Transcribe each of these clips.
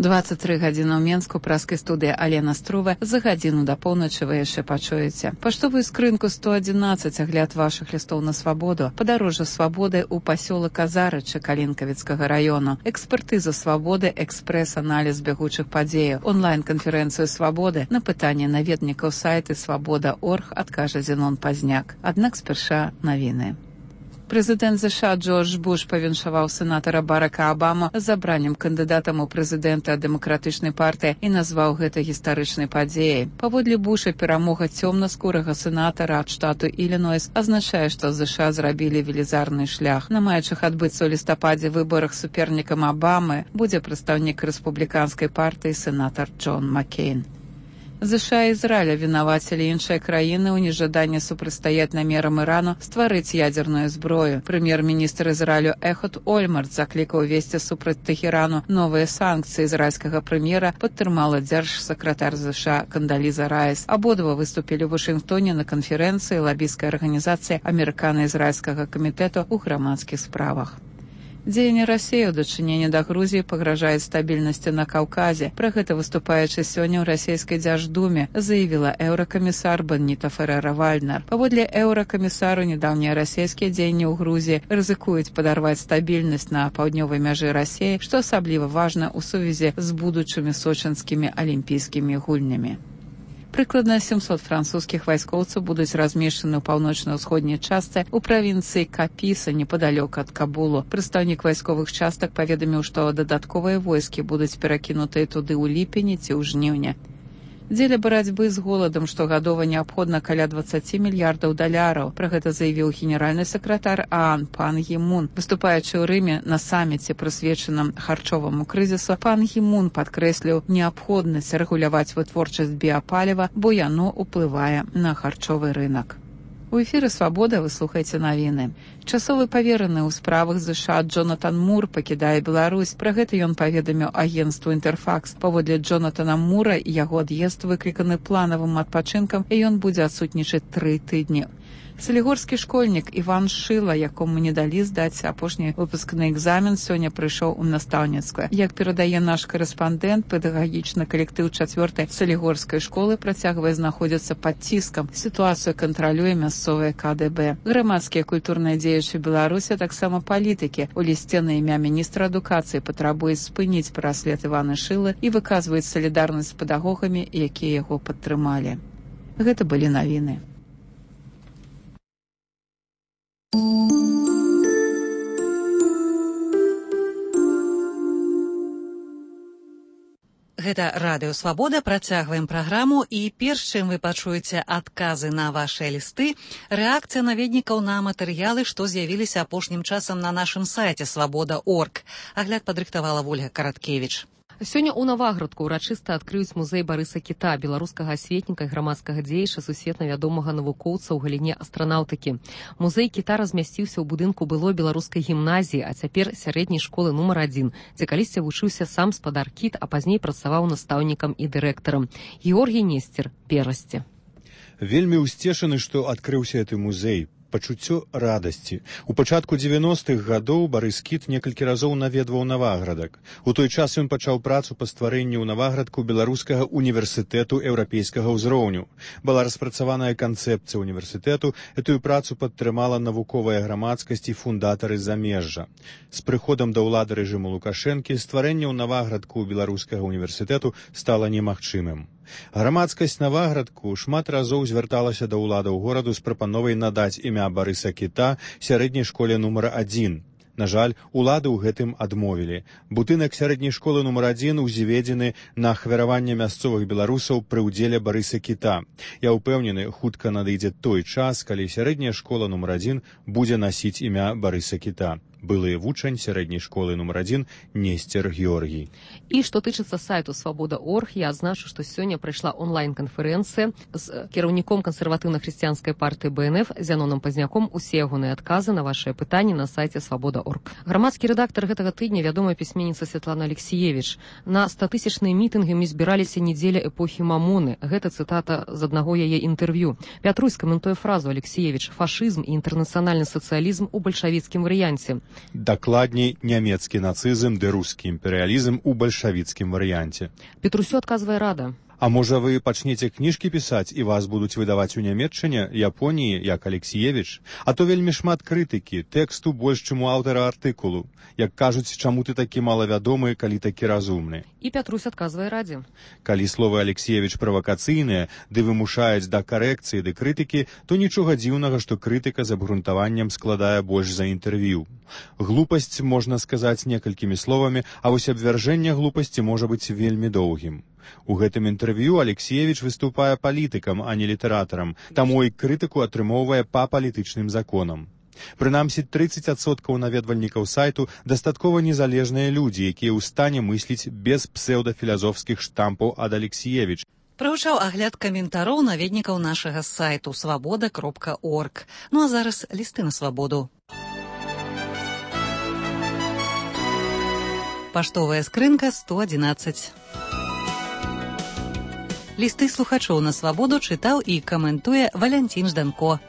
23 гадзіны ў Менску, праскай студыі Алена Струва. За гадзіну да поўначы вы яшчэ пачуеце. Паштовую скрынку 111, агляд вашых лістоў на свабоду. Падарожжа свабоды ў пасёлак Азарычы Калінкавіцкага раёну. Экспертыза свабоды, экспрэс-аналіз бягучых падзеяў. Онлайн-канферэнцыю свабоды. На пытанне наведнікаў сайты свабода.орг адкажа Зенон Пазняк. Аднак спярша навіны. Прэзідэнт США Джордж Буш павіншаваў сенатара Барака Абаму з абраннем кандыдатам у прэзідэнта дэмакратычнай партыі і назваў гэта гістарычнай падзеяй. Паводле Буша, перамога цёмнаскурага сенатара ад штату Ілінойс азначае, што США зрабілі велізарны шлях. На маючых адбыцца ў лістападзе выбарах супернікам Абамы будзе прадстаўнік рэспубліканскай партыі сенатар Джон Маккейн. США і Ізраіля вінавацілі іншыя краіны ў нежаданні супрацьстаяць намерам Ірану стварыць ядзерную зброю. Прэм'ер-міністр Ізраілю Эхуд Ольмарт заклікаў увесці супраць Тэхерану новыя санкцыі. Ізраільскага прэм'ера падтрымала дзяржсакратар США Кандаліза Райс. Абодва выступілі ў Вашынгтоне на канферэнцыі лабійскай арганізацыі Амерыкана-ізраільскага камітэту ў грамадскіх справах. Дзеянне Расіі ў дачыненні да Грузіі пагражаюць стабільнасці на Каўказе. Пра гэта, выступаючы сёння ў расійскай дзярждуме, заявіла еўракамісар Беніта Ферэра-Вальднер. Паводле еўракамісару, нядаўнія расійскія дзеянні ў Грузіі рызыкуюць падарваць стабільнасць на паўднёвай мяжы Расіі, што асабліва важна ў сувязі з будучымі сочынскімі алімпійскімі гульнямі. Прыкладна 700 французскіх вайскоўцаў будуць размешчаны ў паўночна-ўсходняй частцы ў правінцыі Капіса, непадалёк ад Кабулу. Прадстаўнік вайсковых частак паведаміў, што дадатковыя войскі будуць перакінутыя туды ў ліпені ці ў жніўні. Дзеля барацьбы з голадам штогадова неабходна каля 20 мільярдаў даляраў. Пра гэта заявіў генеральны сакратар ААН пан Гі Мун. Выступаючы ў Рыме на саміце, прысвечаным харчоваму крызісу, пан Гі Мун падкрэсліў неабходнасць рэгуляваць вытворчасць біапаліва, бо яно ўплывае на харчовы рынак. У эфіры «Свабода» вы слухаеце навіны. Часовы павераны ў справах США Джонатан Мур пакідае Беларусь. Пра гэта ён паведаміў агенцтву «Інтэрфакс». Паводле Джонатана Мура, яго ад'езд выкліканы планавым адпачынкам, і ён будзе адсутнічаць 3 тыдні. Салігорскі школьнік Іван Шыла, якому не далі здаць апошні выпускны экзамен, сёння прыйшоў у настаўніцтва. Як перадае наш корэспандэнт, педагагічны калектыў 4-й салігорскай школы працягвае знаходзіцца пад ціскам. Сітуацыю кантралюе мясцовае КДБ. Грамадскія культурныя дзеячы Беларусі, таксама палітыкі, у лісце на імя міністра адукацыі патрабуюць спыніць праслед Івана Шылы і выказваюць салідарнасць з педагогамі, якія яго падтрымалі. Гэта былі навіны. Гэта радыё «Свабода». Працягваем праграму, і перш чым вы пачуеце адказы на вашыя лісты, рэакцыя наведнікаў на матэрыялы, што з'явіліся апошнім часам на нашым сайце свабода.орг. Агляд падрыхтавала Вольга Караткевіч. Сёння ў Наваградку ўрачыста адкрыюць музей Барыса Кіта, беларускага асветніка і грамадскага дзеяча, сусветна вядомага навукоўца ў галіне астранаўтыкі. Музей Кіта размясціўся ў будынку былой беларускай гімназіі, а цяпер сярэдняй школы нумар 1, дзе калісьці вучыўся сам спадар Кіт, а пазней працаваў настаўнікам і дырэктарам. Георгій Несцер, Перасці. Вельмі ўсцешаны, што адкрыўся гэты музей. Пачуццё радасці. У пачатку 90-х гадоў Барыс Кіт некалькі разоў наведваў Наваградак. У той час ён пачаў працу па стварэнні ў Наваградку беларускага універсітэту еўрапейскага ўзроўню. Была распрацаваная канцэпцыя універсітэту, гэтую працу падтрымала навуковая грамадскасць і фундатары замежжа. З прыходам да ўлады рэжыму Лукашэнкі стварэнне ў Наваградку беларускага універсітэту стала немагчымым. Грамадскасць Наваградку шмат разоў звярталася да ўладаў гораду з прапановай надаць імя Барыса Кіта сярэдняй школе нумар 1. На жаль, улады ў гэтым адмовілі. Будынак сярэдняй школы нумар 1 узведзены на ахвяраванне мясцовых беларусаў пры ўдзеле Барыса Кіта. Я ўпэўнены, хутка надыдзе той час, калі сярэдняя школа нумар 1 будзе насіць імя Барыса Кіта. Былы вучань сярэдняй школы нумар 1 Несцер Георгій. І што тычыцца сайту «Свабода.орг», я адзначу, што сёння прайшла онлайн-канферэнцыя з кіраўніком кансерватыўна-хрысціянскай партыі БНФ Зяноном Пазняком. Усе ягоныя адказы на вашыя пытанні на сайце «Свабода.орг». Грамадскі рэдактар гэтага тыдня, вядомая пісьменніца Святлана Алексіевіч. На 100-тысячныя мітынгі мы збіраліся недзеля эпохі Мамоны. Гэта цытата з аднаго яе інтэрв'ю. Пятрусь каментуе фразу Алексіевіч: «Фашызм і інтэрнацыянальны сацыялізм у бальшавіцкім варыянце». Дакладней, нямецкі нацызм ды рускі імперыялізм у бальшавіцкім варыянце. Петрусю адказвае рада. А можа, вы пачнеце кніжкі пісаць і вас будуць выдаваць у Нямецчыне, Японіі, як Алексіевіч? А то вельмі шмат крытыкі, тэксту больш, чым у аўтара артыкулу. Як кажуць, чаму ты такі малавядомы, калі такі разумны? І Пятрусь адказвае радзе. Калі словы Алексіевіч правакацыйныя, ды вымушаюць да карэкцыі ды крытыкі, то нічога дзіўнага, што крытыка з абгрунтаваннем складае больш за інтэрв'ю. Глупасць можна сказаць некалькімі словамі, а вось абвяржэнне глупасці можа быць вельмі доўгім. У гэтым інтэрв'ю Алексіевіч выступае палітыкам, а не літаратарам, таму і крытыку атрымоўвае па палітычным законам. Прынамсі, 30% наведвальнікаў сайту дастаткова незалежныя людзі, якія ў стане мысліць без псеўдафілазофскіх штампаў ад Алексіевіч. Прагучаў агляд каментароў наведнікаў нашага сайту свабода.орг. Ну а зараз лісты на свабоду. Паштовая скрынка 111. Лісты слухачоў на свабоду чытаў і каментуе Валянцін Жданко.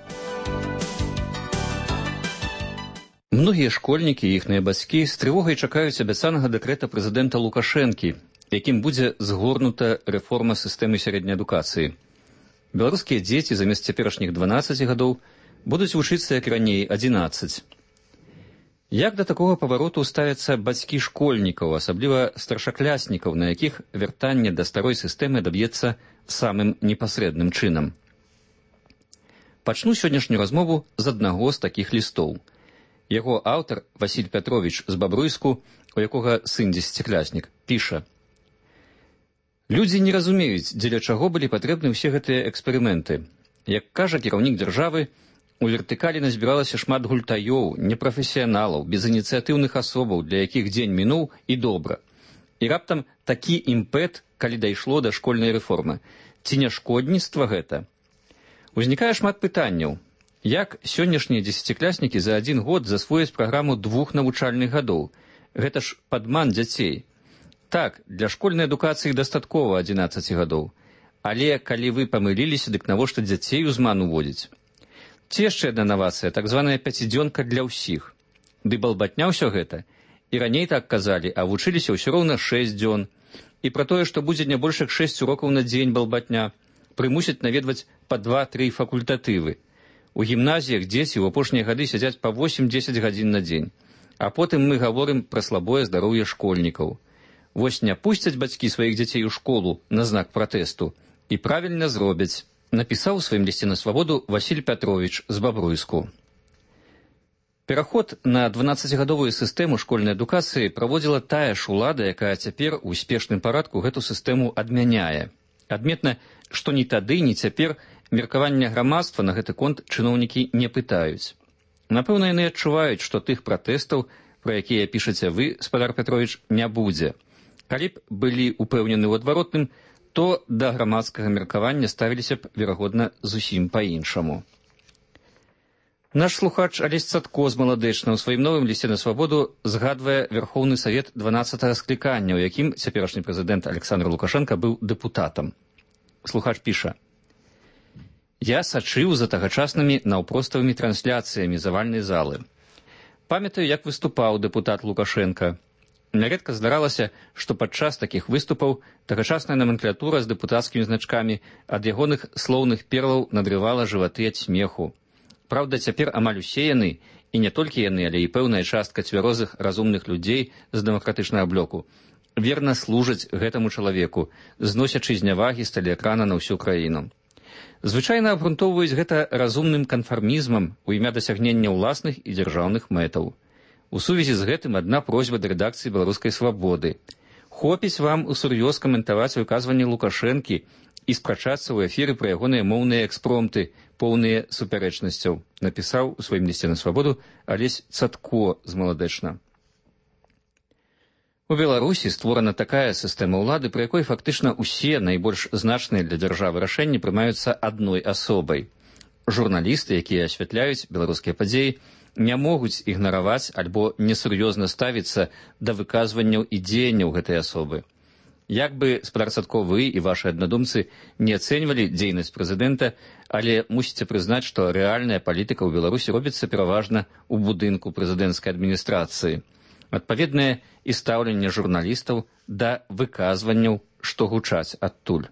Многія школьнікі і іхныя бацькі з трывогай чакаюць абяцанага дэкрэта прэзідэнта Лукашэнкі, якім будзе згорнута рэформа сістэмы сярэдняй адукацыі. Беларускія дзеці замест цяперашніх 12 гадоў будуць вучыцца, як раней, 11. Як да такога павароту ставяцца бацькі школьнікаў, асабліва старшакляснікаў, на якіх вяртанне да старой сістэмы даб'ецца самым непасрэдным чынам? Пачну сённяшнюю размову з аднаго з такіх лістоў. Яго аўтар, Васіль Пятровіч з Бабруйску, у якога сын 10-кляснік, піша: «Людзі не разумеюць, дзеля чаго былі патрэбны ўсе гэтыя эксперыменты. Як кажа кіраўнік дзяржавы, у вертыкалі назбіралася шмат гультаёў, непрафесіяналаў, безініцыятыўных асобаў, для якіх дзень мінуў і добра. І раптам такі імпэт, калі дайшло да школьнай рэформы. Ці не шкодніцтва гэта? Узнікае шмат пытанняў. Як сённяшнія 10-кляснікі за 1 год засвояць праграму 2 навучальных гадоў? Гэта ж падман дзяцей. Так, для школьнай адукацыі дастаткова 11 гадоў. Але калі вы памыліліся, дык навошта дзяцей у зман уводзіць? Ці яшчэ адна навацыя, так званая 5-дзёнка для ўсіх. Ды балбатня ўсё гэта. І раней так казалі, а вучыліся ўсё роўна 6 дзён. І пра тое, што будзе не больш як 6 урокаў на дзень балбатня, прымусяць наведваць па 2-3 факультатывы. У гімназіях дзеці ў апошнія гады сядзяць па 8-10 гадзін на дзень. А потым мы гаворым пра слабое здароўе школьнікаў. Вось не пусцяць бацькі сваіх дзяцей у школу на знак пратэсту. І правільна зробяць. Напісаў у сваім лісце на свабоду Васіль Пятровіч з Бабруйску. Пераход на 12-гадовую сістэму школьнай адукацыі праводзіла тая ж улада, якая цяпер у спешным парадку гэту сістэму адмяняе. Адметна, што ні тады, ні цяпер меркавання грамадства на гэты конт чыноўнікі не пытаюць. Напэўна, яны адчуваюць, што тых пратэстаў, пра якія пішаце вы, спадар Пятровіч, не будзе. Калі б былі ўпэўнены ў адваротным, то да грамадскага меркавання ставіліся б, верагодна, зусім па-іншаму. Наш слухач Алесь Цатко з Маладэчна ў сваім новым лісце на свабоду згадвае Верхоўны Савет 12-го склікання, у якім цяперашні прэзідэнт Александр Лукашенко быў дэпутатам. Слухач піша: «Я сачыў за тагачаснымі наўпроставымі трансляцыямі завальнай залы. Памятаю, як выступаў дэпутат Лукашенко. Няредка здаралася, што падчас такіх выступаў тагачасная номенклатура з дэпутацкімі значкамі ад ягоных слоўных перлаў надрывала жываты ад смеху. Праўда, цяпер амаль усе яны, і не толькі яны, але і пэўная частка цвярозых разумных людзей з дэмакратычнага блоку, верна служаць гэтаму чалавеку, зносячы знявагі з тэлеэкрана на ўсю краіну. Звычайна абгрунтоўваюць гэта разумным канфармізмам у імя дасягнення ўласных і дзяржаўных мэтаў. У сувязі з гэтым адна просьба да рэдакцыі «Беларускай свабоды». Хопіць вам усур'ёз каментаваць выказванні Лукашэнкі і спрачацца ў эфіры пра ягоныя моўныя экспромты, поўныя супярэчнасцяў, напісаў у сваім лісце на свабоду Алесь Цатко з Маладэчна. У Беларусі створана такая сістэма ўлады, пры якой фактычна ўсе найбольш значныя для дзяржавы рашэнні прымаюцца адной асобай. Журналісты, якія асвятляюць беларускія падзеі, не могуць ігнараваць альбо несур'ёзна ставіцца да выказванняў і дзеянняў гэтай асобы. Як бы спадарцадко вы і вашы аднадумцы не ацэньвалі дзейнасць прэзідэнта, але мусіце прызнаць, што рэальная палітыка ў Беларусі робіцца пераважна ў будынку прэзідэнцкай адміністрацыі. Адпаведнае і стаўленне журналістаў да выказванняў, што гучаць адтуль.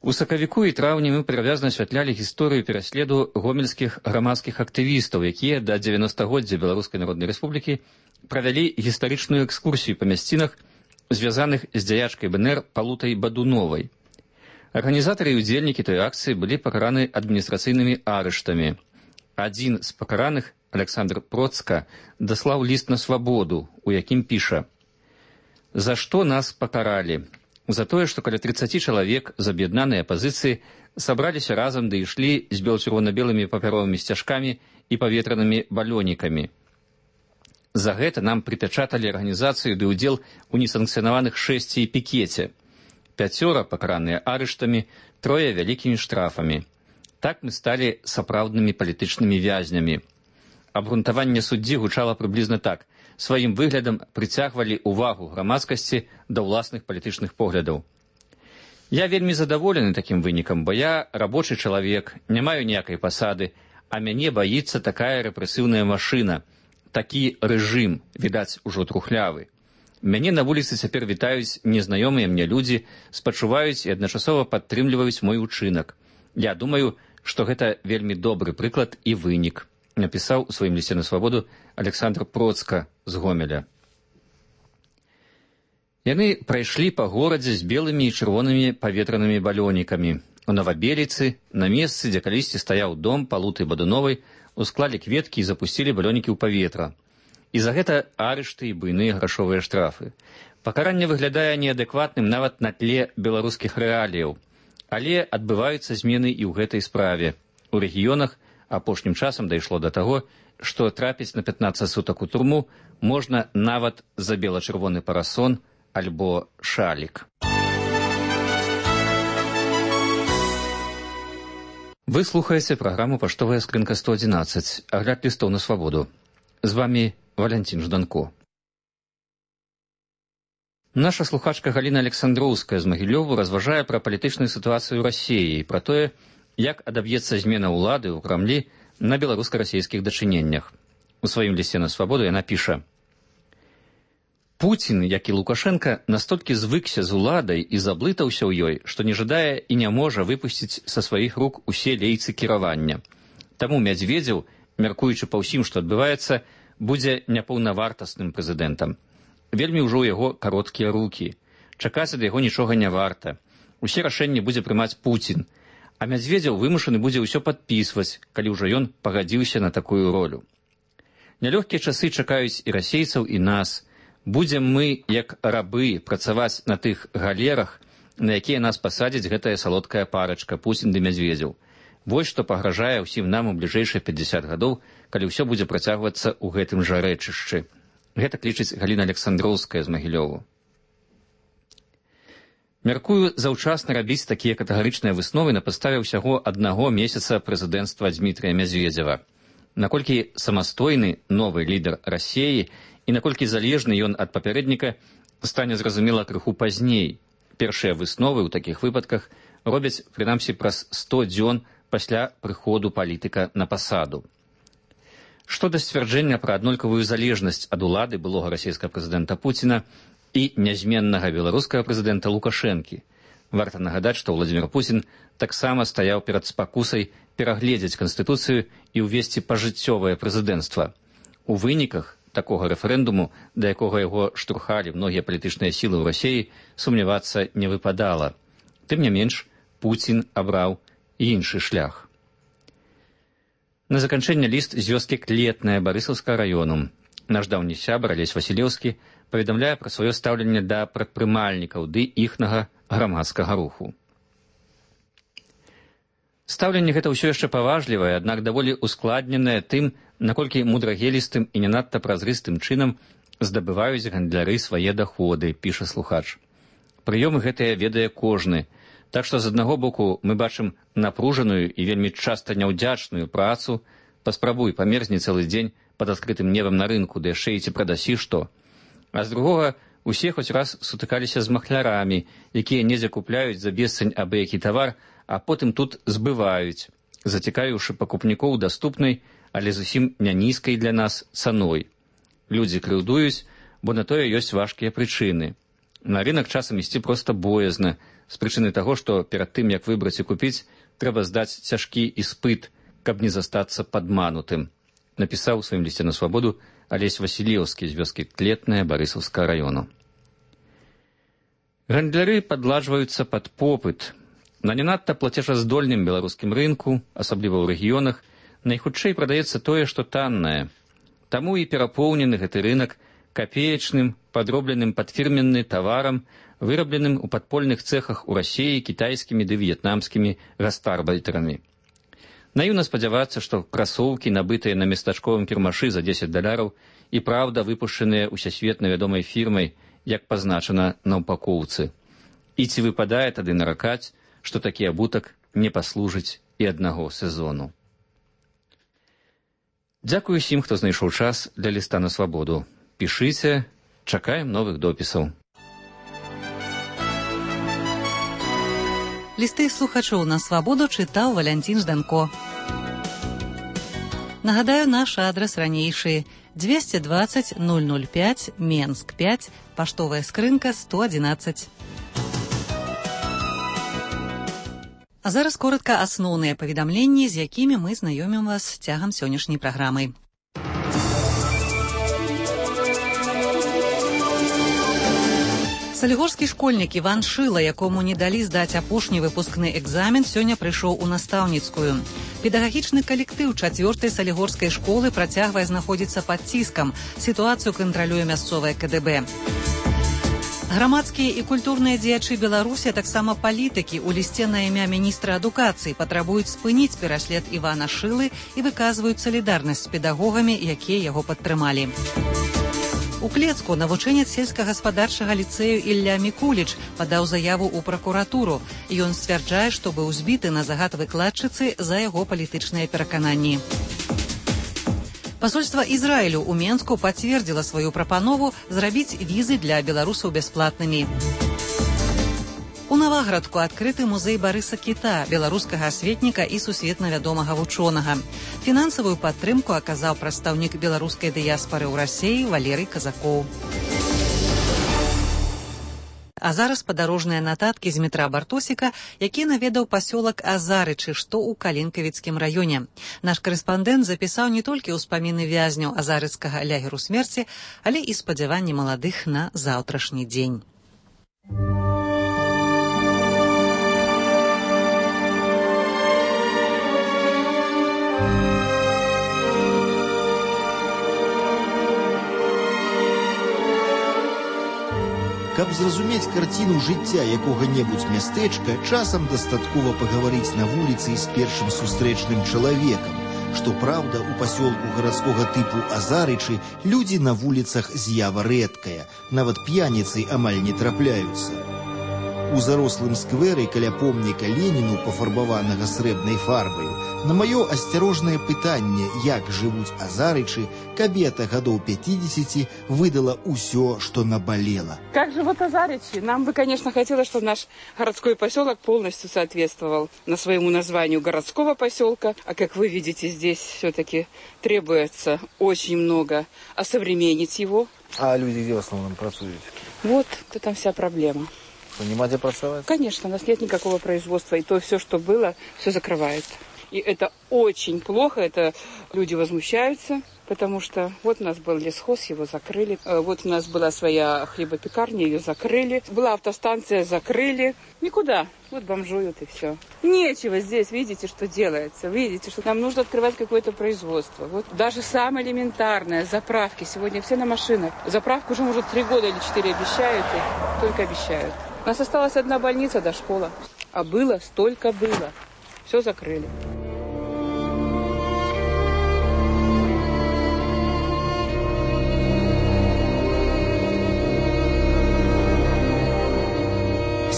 У сакавіку і траўні мы перавязна асвятлялі гісторыю пераследу гомельскіх грамадскіх актывістаў, якія да 90-годдзя Беларускай Народнай Рэспублікі правялі гістарычную экскурсію па мясцінах, звязаных з дзяячкай БНР Палутай Бадуновай. Арганізатары і ўдзельнікі той акцыі былі пакараны адміністрацыйнымі арыштамі. Адзін з пакараных, Александр Процка, даслаў ліст на свабоду, у якім піша: «За што нас пакаралі? За тое, што каля 30 чалавек з аб'яднанай апазіцыі сабраліся разам ды ішлі з бел-чырвона-белымі папяровымі сцяжкамі і паветранымі балёнікамі. За гэта нам прыпячаталі арганізацыю ды ўдзел у несанкцыянаваных шэсці і пікеце. 5 пакараныя арыштамі, 3 вялікімі штрафамі. Так мы сталі сапраўднымі палітычнымі вязнямі». Абгрунтаванне суддзі гучала прыблізна так: сваім выглядам прыцягвалі ўвагу грамадскасці да ўласных палітычных поглядаў. Я вельмі задаволены такім вынікам, бо я рабочы чалавек, не маю ніякай пасады, а мяне баіцца такая рэпрэсіўная машына, такі рэжым, відаць, ужо трухлявы. Мяне на вуліцы цяпер вітаюць незнаёмыя мне людзі, спачуваюць і адначасова падтрымліваюць мой учынак. Я думаю, што гэта вельмі добры прыклад і вынік, напісаў у сваім лісце на свабоду Александр Процка з Гомеля. Яны прайшлі па горадзе з белымі і чырвонымі паветранымі балёнікамі. У Новабеліцы, на месцы, дзе калісьці стаяў дом Палуты Бадуновай, усклалі кветкі і запусцілі балёнікі ў паветра. І за гэта арышты і буйныя грашовыя штрафы. Пакаранне выглядае неадэкватным нават на тле беларускіх рэаліяў. Але адбываюцца змены і ў гэтай справе. У рэгіёнах апошнім часам дайшло да таго, што трапіць на 15 сутак у турму можна нават за бела-чырвоны парасон альбо шалік. Вы слухаеце праграму «Паштовая скрынка 111», агляд лістоў на свабоду. З вамі Валянцін Жданко. Наша слухачка Галіна Александроўская з Магілёву разважае пра палітычную сітуацыю ў Расіі і пра тое, як адаб'ецца змена ўлады ў Крамлі на беларуска-расійскіх дачыненнях. У сваім лісце на свабоду яна піша: «Пуцін, як і Лукашенка, настолькі звыкся з уладай і заблытаўся ў ёй, што не жадае і не можа выпусціць са сваіх рук усе лейцы кіравання. Таму Мядзведзеў, мяркуючы па ўсім, што адбываецца, будзе няпаўнавартасным прэзідэнтам. Вельмі ўжо ў яго кароткія рукі. Чакаць ад яго нічога не варта. Усе рашэнні будзе прымаць Пуцін, а Мядзведзеў вымушаны будзе ўсё падпісваць, калі ўжо ён пагадзіўся на такую ролю. Нялёгкія часы чакаюць і расейцаў, і нас. Будзем мы, як рабы, працаваць на тых галерах, на якія нас пасадзіць гэтая салодкая парачка Пуцін ды Мядзведзеў. Вось што пагражае ўсім нам у бліжэйшыя 50 гадоў, калі ўсё будзе працягвацца ў гэтым жа рэчышчы». Гэта лічыць Галіна Александроўская з Магілёву. Мяркую заўчасна рабіць такія катэгарычныя высновы на падставе ўсяго 1 месяца прэзідэнцтва Дмітрыя Мядзведзева. Наколькі самастойны новы лідар Расіі і наколькі залежны ён ад папярэдніка, стане зразумела крыху пазней. Першыя высновы ў такіх выпадках робяць, прынамсі, праз 100 дзён пасля прыходу палітыка на пасаду. Што да сцвярджэння пра аднолькавую залежнасць ад улады былога расійскага прэзідэнта Пуціна і нязменнага беларускага прэзідэнта Лукашэнкі, варта нагадаць, што Владзімір Пуцін таксама стаяў перад спакусай перагледзець канстытуцыю і ўвесці пажыццёвае прэзідэнцтва. У выніках такога рэферэндуму, да якога яго штурхалі многія палітычныя сілы ў Расіі, сумнявацца не выпадала. Тым не менш, Пуцін абраў іншы шлях. На заканчэнне ліст з вёскі Клетная Барысаўскага раёну. Наш даўні сябар Алесь Васілеўскі паведамляе пра сваё стаўленне да прадпрымальнікаў ды іхнага грамадскага руху. Стаўленне гэта ўсё яшчэ паважлівае, аднак даволі ускладненае тым, наколькі мудрагелістым і не надта празрыстым чынам здабываюць гандляры свае даходы, піша слухач. Прыёмы гэтыя ведае кожны. Так што з аднаго боку мы бачым напружаную і вельмі часта няўдзячную працу, паспрабуй памерзні цэлы дзень пад адкрытым небам на рынку, ды яшчэ і ці прадасі што. А з другога Усе хоць раз сутыкаліся з махлярамі, якія недзе купляюць за бесцань абы які тавар, а потым тут збываюць, зацікавіўшы пакупнікоў даступнай, але зусім не нізкай для нас цаной. Людзі крыўдуюць, бо на тое ёсць важкія прычыны. На рынак часам ісці проста боязна, з прычыны таго, што перад тым, як выбраць і купіць, трэба здаць цяжкі іспыт, каб не застацца падманутым, напісаў у сваім лісце на свабоду Алесь Васілеўскі з вёскі Клетная Барысаўскага раёну. Гандляры падладжваюцца пад попыт. На не надта плацежаздольным беларускім рынку, асабліва ў рэгіёнах, найхутчэй прадаецца тое, што таннае. Таму і перапоўнены гэты рынак капеечным, падробленым пад фірменны таварам, вырабленым у падпольных цэхах у Расіі кітайскімі ды в'етнамскімі гастарбайтэрамі. Наіўна спадзявацца, што красоўкі, набытыя на местачковым кірмашы за $10, і праўда выпушчаныя усесветна вядомай фірмай, як пазначана на упакоўцы. І ці выпадае тады наракаць, што такі абутак не паслужыць і аднаго сезону. Дзякую усім, хто знайшоў час для ліста на свабоду. Пішыце, чакаем новых допісаў. Лісты слухачоў на свабоду чытаў Валянцін Жданко. Нагадаю, наш адрас ранейшы: 220 005, Менск 5, паштовая скрынка 111. А зараз коротка асноўныя паведамленні, з якімі мы знаёмім вас цягам сённяшняй праграмы. Салігорскі школьнік Іван Шыла, якому не далі здаць апошні выпускны экзамен, сёння прыйшоў у настаўніцкую. Педагагічны калектыў 4-й салігорскай школы працягвае знаходзіцца пад ціскам. Сітуацыю кантралюе мясцовае КДБ. Грамадскія і культурныя дзеячы Беларусі, таксама палітыкі, у лісце на імя міністра адукацыі патрабуюць спыніць пераслед Івана Шылы і выказваюць салідарнасць з педагогамі, якія яго падтрымалі. У Клецку навучэнец сельскагаспадарчага ліцэю Ілля Мікуліч падаў заяву ў пракуратуру. Ён сцвярджае, што быў збіты на загад выкладчыцы за яго палітычныя перакананні. Пасольства Ізраілю ў Менску пацвердзіла сваю прапанову зрабіць візы для беларусаў бясплатнымі. У Наваградку адкрыты музей Барыса Кіта, беларускага асветніка і сусветна вядомага вучонага. Фінансавую падтрымку аказаў прадстаўнік беларускай дыяспары ў Расіі Валерый Казакоў. А зараз падарожныя нататкі з метра Бартосіка, які наведаў пасёлак Азарычы, што ў Калінкавіцкім раёне. Наш карэспандэнт запісаў не толькі ўспаміны вязняў азарыцкага лягеру смерці, але і спадзяванні маладых на заўтрашні дзень. Каб зразумець карціну жыцця якога-небудзь мястэчка, часам дастаткова пагаварыць на вуліцы з першым сустрэчным чалавекам. Што праўда, у пасёлку гарадскога тыпу Азарычы людзі на вуліцах з'ява рэдкая, нават п'яніцы амаль не трапляюцца. У зарослым скверы каля помніка Леніну, пафарбаванага срэбнай фарбаю, на маё асцярожнае пытанне, як жывуць азарычы, кабета гадоў 50 выдала ўсё, что наболело. Как живут азарычи? Нам бы, конечно, хотелось, чтобы наш городской поселок полностью соответствовал на своему названию городского поселка. А как вы видите, здесь все-таки требуется очень много осовременить его. А люди где в основном працуют? Вот, там вся проблема. Нема где працевать? Конечно, у нас нет никакого производства, и то все, что было, все закрывает. И это очень плохо, это люди возмущаются, потому что вот у нас был лесхоз, его закрыли. Вот у нас была своя хлебопекарня, ее закрыли. Была автостанция, закрыли. Никуда. Вот бомжуют и все. Нечего здесь, видите, что делается. Видите, что нам нужно открывать какое-то производство. Вот даже самое элементарное, заправки. Сегодня все на машинах. Заправку уже, может, 3 года или 4 обещают, и только обещают. У нас осталась одна больница до школы. А было, столько было. Все закрыли.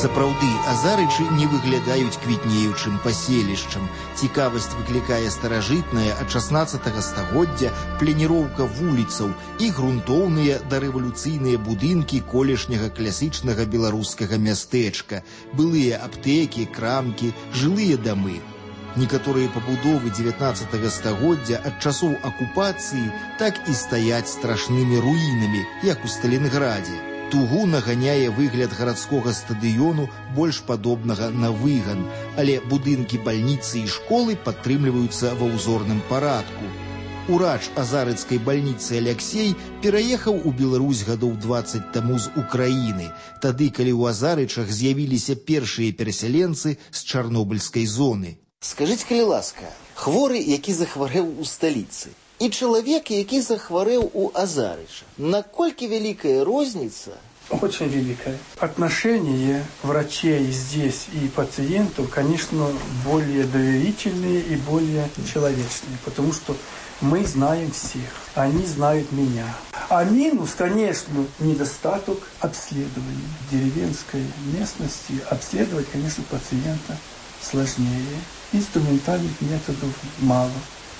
Сапраўды, Азарычы не выглядаюць квітнеючым паселішчам. Цікавасць выклікае старажытная ад 16 стагоддзя планіроўка вуліцаў і грунтоўныя дарэвалюцыйныя будынкі колішняга класічнага беларускага мястэчка, былыя аптэкі, крамкі, жылыя дамы. Некаторыя пабудовы 19 стагоддзя ад часоў акупацыі так і стаяць страшнымі руінамі, як у Сталінградзе. Тугу наганяе выгляд гарадскога стадыёну, больш падобнага на выган, але будынкі бальніцы і школы падтрымліваюцца ва ўзорным парадку. Урач азарыцкай бальніцы Аляксей пераехаў у Беларусь гадоў 20 таму з Украіны, тады, калі ў Азарычах з'явіліся першыя перасяленцы з чарнобыльскай зоны. Скажыце, калі ласка, хворы, які захварэў у сталіцы, и человек, який захворел у Азарыча. Накольки великая розница? Очень великая. Отношения врачей здесь и пациентов, конечно, более доверительные и более человечные, потому что мы знаем всех, они знают меня. А минус, конечно, недостаток обследования. В деревенской местности обследовать, конечно, пациента сложнее. Инструментальных методов мало.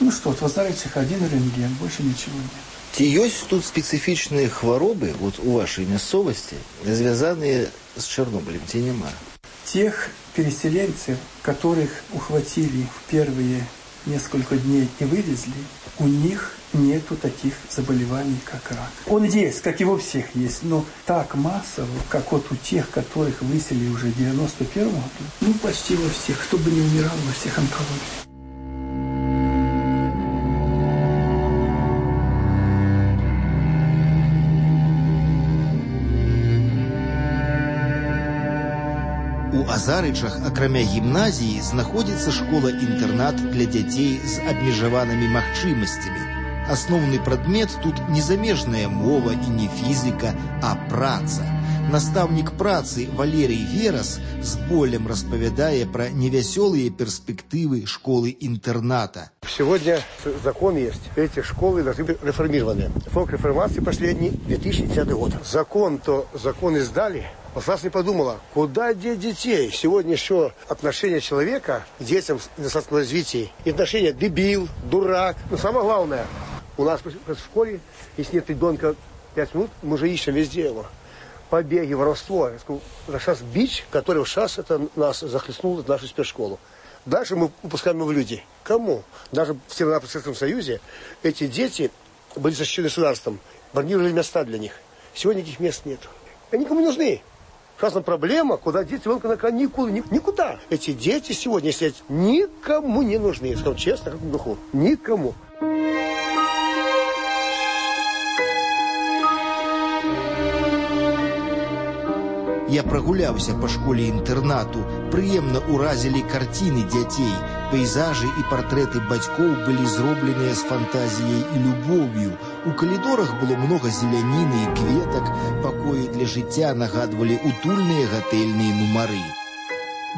Ну что, в Азарычах один рентген, больше ничего нет. Ці ёсць тут специфічныя хваробы вот у вашей мясцовасці, звязаныя з Чарнобылем, ці няма? Тех переселенцев, которых ухватили в первые несколько дней и вывезли, у них нету таких заболеваний, как рак. Он есть, как и у всех есть, но так массово, как вот у тех, которых выселили уже в 91 году, ну почти во всех, кто бы не умирал, во всех онкологиях. У Азарычах, акрамя гімназіі, знаходзіцца школа-інтэрнат для дзяцей з абмежаванымі магчымасцямі. Асноўны прадмет тут не замежная мова і не фізіка, а праца. Настаўнік працы Валерий Верас з болем распавядае пра невясёлыя перспектывы школы-интерната. Сегодня закон есть. Эти школы должны быть реформированы. Фонд реформации последний 2010 год. Закон издали. Власть не подумала, куда деть детей. Сегодня еще отношение человека к детям в недостаточном развитии. И отношение дебил, дурак. Но самое главное, у нас в школе, если нет ребенка 5 минут, мы же ищем везде его. Побеги, воровство. Это сейчас бич, который сейчас это нас захлестнул, нашу спецшколу. Дальше мы выпускаем его в люди. Кому? Даже в Северо-Советском Союзе эти дети были защищены государством. Бронировали места для них. Сегодня этих мест нет. Они никому не нужны. Сейчас проблема, куда дети ребенка на каникулы. Никуда. Эти дети сегодня, если никому не нужны. Скажу честно, как в духу. Никому. Я прагуляўся па школе-інтэрнату, прыемна ўразілі карціны дзяцей. Пейзажы і партрэты бацькоў былі зробленыя з фантазіяй і любоўю. У калідорах было многа зеляніны і кветак, пакоі для жыцця нагадвалі утульныя гатэльныя нумары.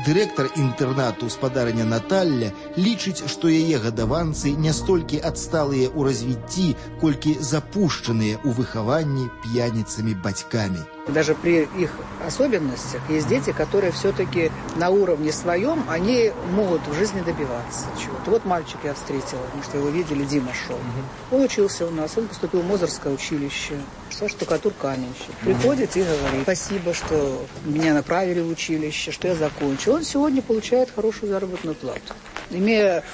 Дырэктар інтэрнату спадарня Наталля лічыць, што яе гадаванцы не столькі адсталыя ў развіцці, колькі запушчаныя ў выхаванні п'яніцамі бацькамі. Даже при их особенностях есть дети, которые все-таки на уровне своем, они могут в жизни добиваться чего-то. Вот мальчик я встретила, потому что его видели, Дима шел. Он учился у нас, он поступил в Мозырское училище, штукатур-каменщик. Приходит и говорит: спасибо, что меня направили в училище, что я закончил. Он сегодня получает хорошую заработную плату. Имея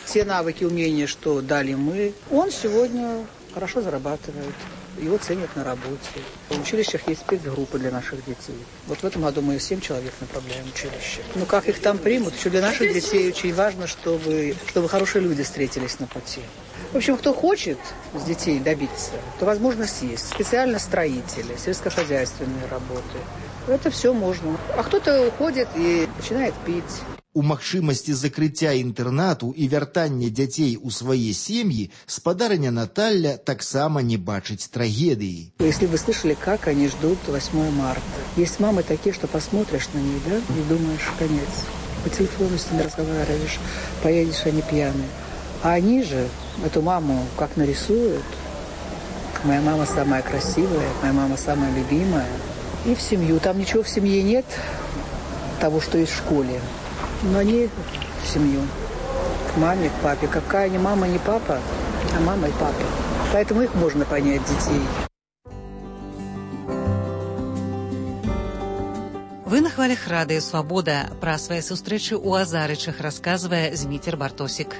все навыки, умения, что дали мы, он сегодня хорошо зарабатывает. Его ценят на работе. В училищах есть спецгруппы для наших детей. Вот в этом году мы 7 человек направляем в училище. Ну как их там примут? Еще для наших детей очень важно, чтобы хорошие люди встретились на пути. В общем, кто хочет с детей добиться, то возможность есть. Специально строители, сельскохозяйственные работы. Это все можно. А кто-то уходит и начинает пить. У магчымасці закрыцця інтэрнату і вяртання дзяцей у свае сем'і спадарня Наталля таксама не бачыць трагедыі. Если вы слышали, как они ждут 8 марта. Есть мамы такие, что посмотришь на них, да, и думаешь, конец. По телефону с ними разговариваешь, поедешь, они пьяные. А они же эту маму как нарисуют. Моя мама самая красивая, моя мама самая любимая. И в семью. Там ничего в семье нет. того, что есть в школе. Но они в семью. К маме, к папе. Какая ни мама, ни папа, а мама и папа. Поэтому их можно понять, детей. Вы на хвалях радыё «Свабода». Пра свае сустрэчы ў Азарычах расказвае Зміцер Бартосік.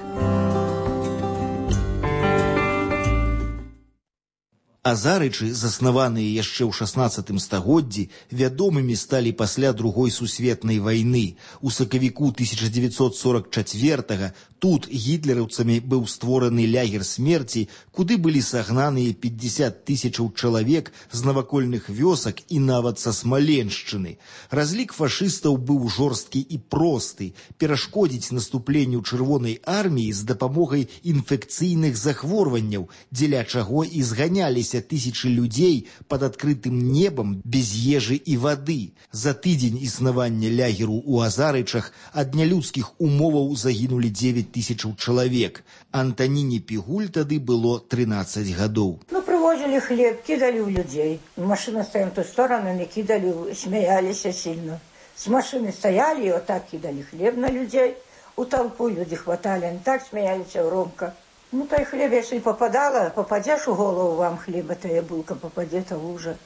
Азарычы, заснаваныя яшчэ ў 16 стагоддзі, вядомымі сталі пасля Другой сусветнай вайны. У сакавіку 1944-га тут гітлераўцамі быў створаны лягер смерці, куды былі сагнаныя 50 тысячаў чалавек з навакольных вёсак і нават са Смаленшчыны. Разлік фашыстаў быў жорсткі і просты – перашкодзіць наступленню Чырвонай арміі з дапамогай інфекцыйных захворванняў, дзеля чаго і зганяліся тысячы людзей пад адкрытым небам без ежы і вады. За тыдзень існавання лягеру ў Азарычах ад нялюдскіх умоваў загінулі 9 тысячаў чалавек. Антаніне Пігуль тады было 13 гадоў. Привозили хлеб, кидали в людей. Машина стояла в ту сторону, не кидали, смеялись сильно. С машины стояли и вот так кидали хлеб на людей. У толпу люди хватали, они так смеялись громко. То и хлеб, если попадало, попадешь в голову вам хлеба, то и булка попадет, а уже.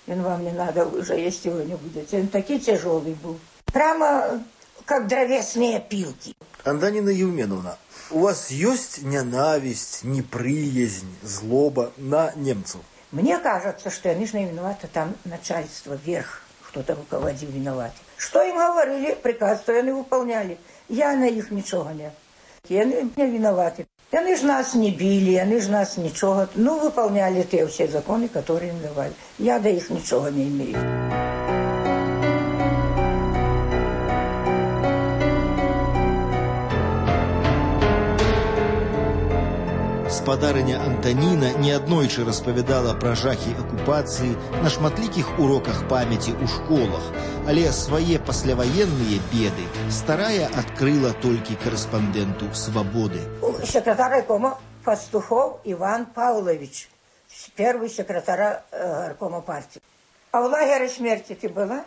И вам не надо уже есть его не будете. Он такой тяжелый был. Прямо как дровесные пилки. Антонина Евменовна, у вас есть ненависть, неприязнь, злоба на немцев? Мне кажется, что они же не виноваты, там начальство, верх, кто-то руководил, виноват. Что им говорили, приказ, то они выполняли. Я на их ничего не. Они не виноваты. Они же нас не били, они же нас ничего. Выполняли те все законы, которые им давали. Я до их ничего не имею. Спадарыня Антаніна неаднойчы распавядала пра жахі акупацыі на шматлікіх уроках памяці ў школах, але свае пасляваенныя беды старая адкрыла толькі корэспандэнту «Свабоды». Секретарь райкома Пастухов Иван Павлович, первый секретарь горкома партии. А в лагере смерти ты была?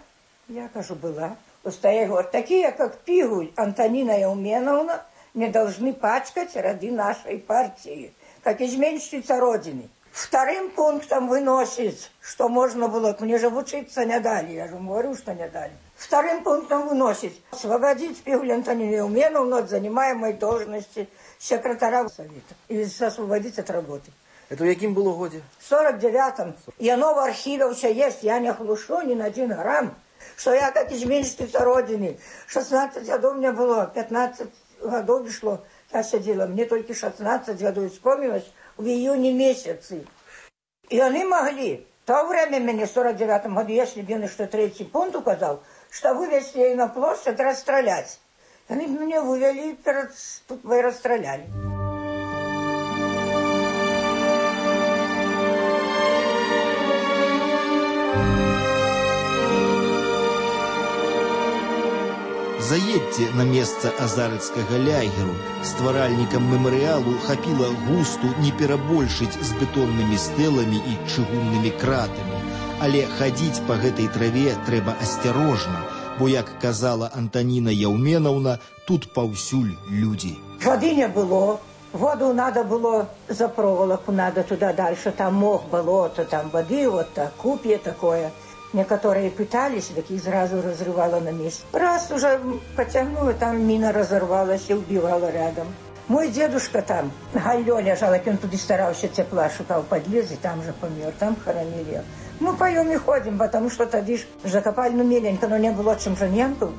Я кажу, была. Стоят, говорят, такие, как Пигуль, Антонина Евменовна, не должны пачкать ряды нашей партии, как изменщица Родины. Вторым пунктом выносит, что можно было, мне же учиться не дали, я же говорю, что не дали. Вторым пунктом выносит освободить Пигуль Антонину Евменовну от занимаемой должности секретаря совета и освободить от работы. Это в каким было годе? В 49-м. И оно в архиве все есть, я не хлушу ни на 1 грамм, что я как изменщица Родины. 16 годов мне было, 15 годов шло, я сидела, мне только 16 годов вспомнилось в июне месяце. И они могли, в то время мне в 49 году, если бы мне что 3-й пункт указал, что вывести ее на площадь, расстрелять. Они меня вывели, тут вы расстреляли. Заедьте на месца азарыцкага лягеру. Стваральнікам мемарыялу хапіла густу не перабольшыць з бетоннымі стэламі і чыгуннымі кратамі. Але хадзіць па гэтай траве трэба асцярожна, бо, як казала Антаніна Евменовна, тут паўсюль людзі. Воды не было. Воду надо было за проволоку, надо туда дальше. Там мох, болото, там воды, вот так, купье такое. Некоторые пытались, так их сразу разрывало на месте. Раз уже потянуло, там мина разорвалась и убивала рядом. Мой дедушка там, Галлё лежал, он туда старался тепла, шукал подлез, и там же помер, там хоронили. Мы поем и ходим, потому что тогда закопали, меленько, но не было чем же немку.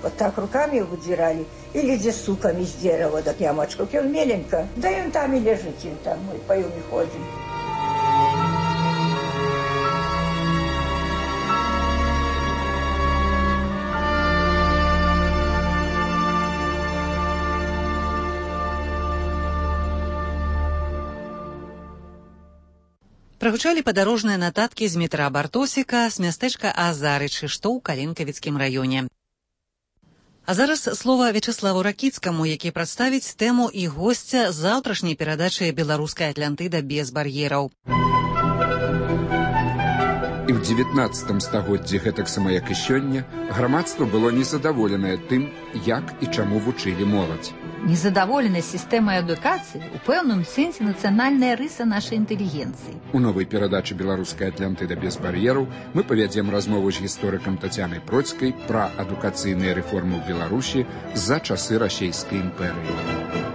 Вот так руками выдирали, или где суками из дерева, так ямочку, он меленько. Да и он там и лежит, и там мы поем и ходим. Прагучалі падарожныя нататкі з Змітра Бартосіка з мястэчка Азарычы, што ў Калінкавіцкім раёне. А зараз слова Вячеславу Ракіцкаму, які прадставіць тэму і госця заўтрашняй перадачы «Беларуская Атлантыда без бар'ераў». І в XIX стагоддзі, гэтаксама як і сёння, грамадства было незадаволенае тым, як і чаму вучылі моладзь. Незадаволенасць сістэмай адукацыі ў пэўным сэнсе нацыянальная рыса нашай інтэлігенцыі. У новай перадачы «Беларуская Атлантыда без бар'ераў» мы павядзем размову з гісторыкам Тацянай Процкай пра адукацыйныя рэформы ў Беларусі за часы расійскай імперыі.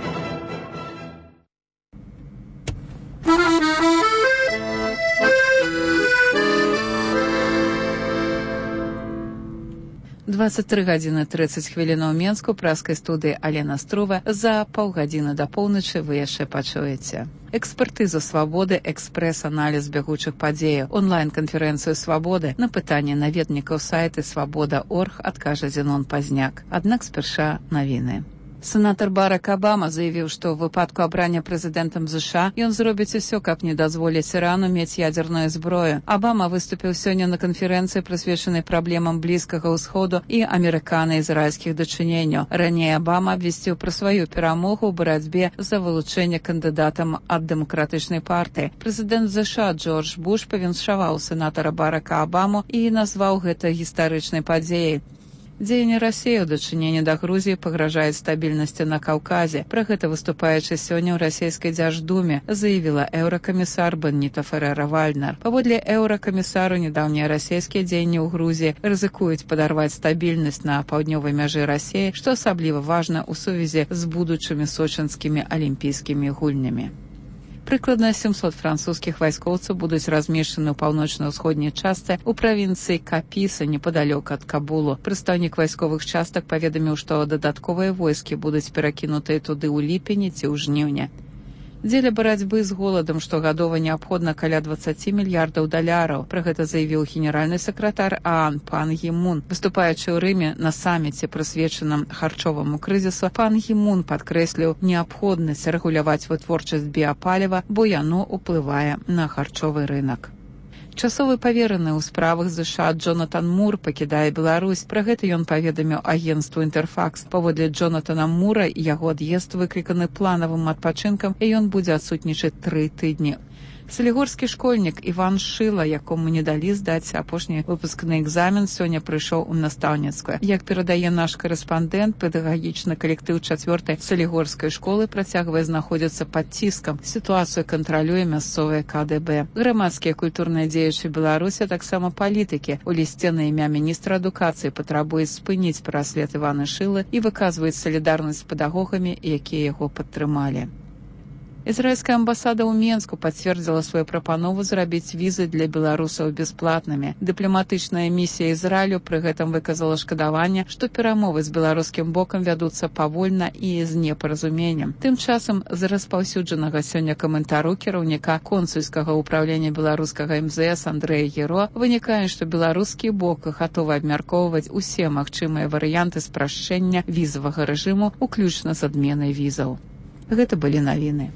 23 гадзіны 30 хвілінаў Менску, праскай студыі Алена Струва. За паўгадзіны да поўначы вы яшчэ пачуеце. Экспертызу свабоды, экспрэс-аналіз бягучых падзеяў, онлайн-канферэнцыю свабоды. На пытанне наведнікаў сайты свабода.орг адкажа Зенон Пазняк. Аднак спярша навіны. Сенатор Барак Обама заявіў, што ў выпадку абрання прэзідэнтам США ён зробіць усё, каб не дазволіць Ірану мець ядзерную зброю. Обама выступіў сёння на канферэнцыі, прысвечанай праблемам Блізкага ўсходу і амерыкана-ізраільскіх дачыненняў. Раней Обама абвясціў пра сваю перамогу ў барацьбе за вылучэнне кандыдатам ад дэмакратычнай партыі. Прэзідэнт США Джордж Буш павіншаваў сенатара Барака Обаму і назваў гэта гістарычнай падзеяй. Дзеянне Расіі ў дачыненні да Грузіі пагражаюць стабільнасці на Каўказе. Пра гэта выступаючы сёння ў расійскай дзярждуме, заявіла еўракамісар Бенніта Ферера-Вальнер. Паводле еўракамісару, нядаўнія расійскія дзеянні ў Грузіі рызыкуюць падарваць стабільнасць на паўднёвай мяжы Расіі, што асабліва важна ў сувязі з будучымі сочынскімі алімпійскімі гульнямі. Прыкладна 700 французскіх вайскоўцаў будуць размешчаны ў паўночна-ўсходняй частцы ў правінцыі Капіса, непадалёк ад Кабулу. Прадстаўнік вайсковых частак паведаміў, што дадатковыя войскі будуць перакінутыя туды ў ліпені ці ў жніўні. Дзеля барацьбы з голадам штогадова неабходна каля 20 мільярдаў даляраў. Пра гэта заявіў генеральны сакратар ААН Пан Гі Мун. Выступаючы ў Рыме на саміце, прысвечаным харчоваму крызісу, Пан Гі Мун падкрэсліў неабходнасць рэгуляваць вытворчасць біапаліва, бо яно ўплывае на харчовы рынак. Часовы павераны ў справах США Джонатан Мур пакідае Беларусь. Пра гэта ён паведаміў агенцтву «Інтэрфакс». Паводле Джонатана Мура яго ад'езд выкліканы планавым адпачынкам, і ён будзе адсутнічаць 3 тыдні. Салігорскі школьнік Іван Шыла, якому не далі здаць апошні выпускны экзамен, сёння прыйшоў у настаўніцкую. Як перадае наш корэспандэнт, педагагічны калектыў 4-й салігорскай школы працягвае знаходзіцца пад ціскам. Сітуацыю кантралюе мясцовае КДБ. Грамадскія культурныя дзеячы Беларусі, таксама палітыкі, у лісце на імя міністра адукацыі патрабуюць спыніць праслед Івана Шылы і выказваюць салідарнасць з педагогамі, якія яго падтрымалі. Ізраільская амбасада ў Менску пацвердзіла сваю прапанову зрабіць візы для беларусаў бясплатнымі. Дыпламатычная місія Ізраілю пры гэтым выказала шкадаванне, што перамовы з беларускім бокам вядуцца павольна і з непаразуменнем. Тым часам з распаўсюджанага сёння каментару кіраўніка консульскага ўпраўлення беларускага МЗС Андрэя Геро вынікае, што беларускі бок гатовы абмяркоўваць усе магчымыя варыянты спрашчэння візавага рэжыму, уключна з адменай візаў. Гэта былі навіны.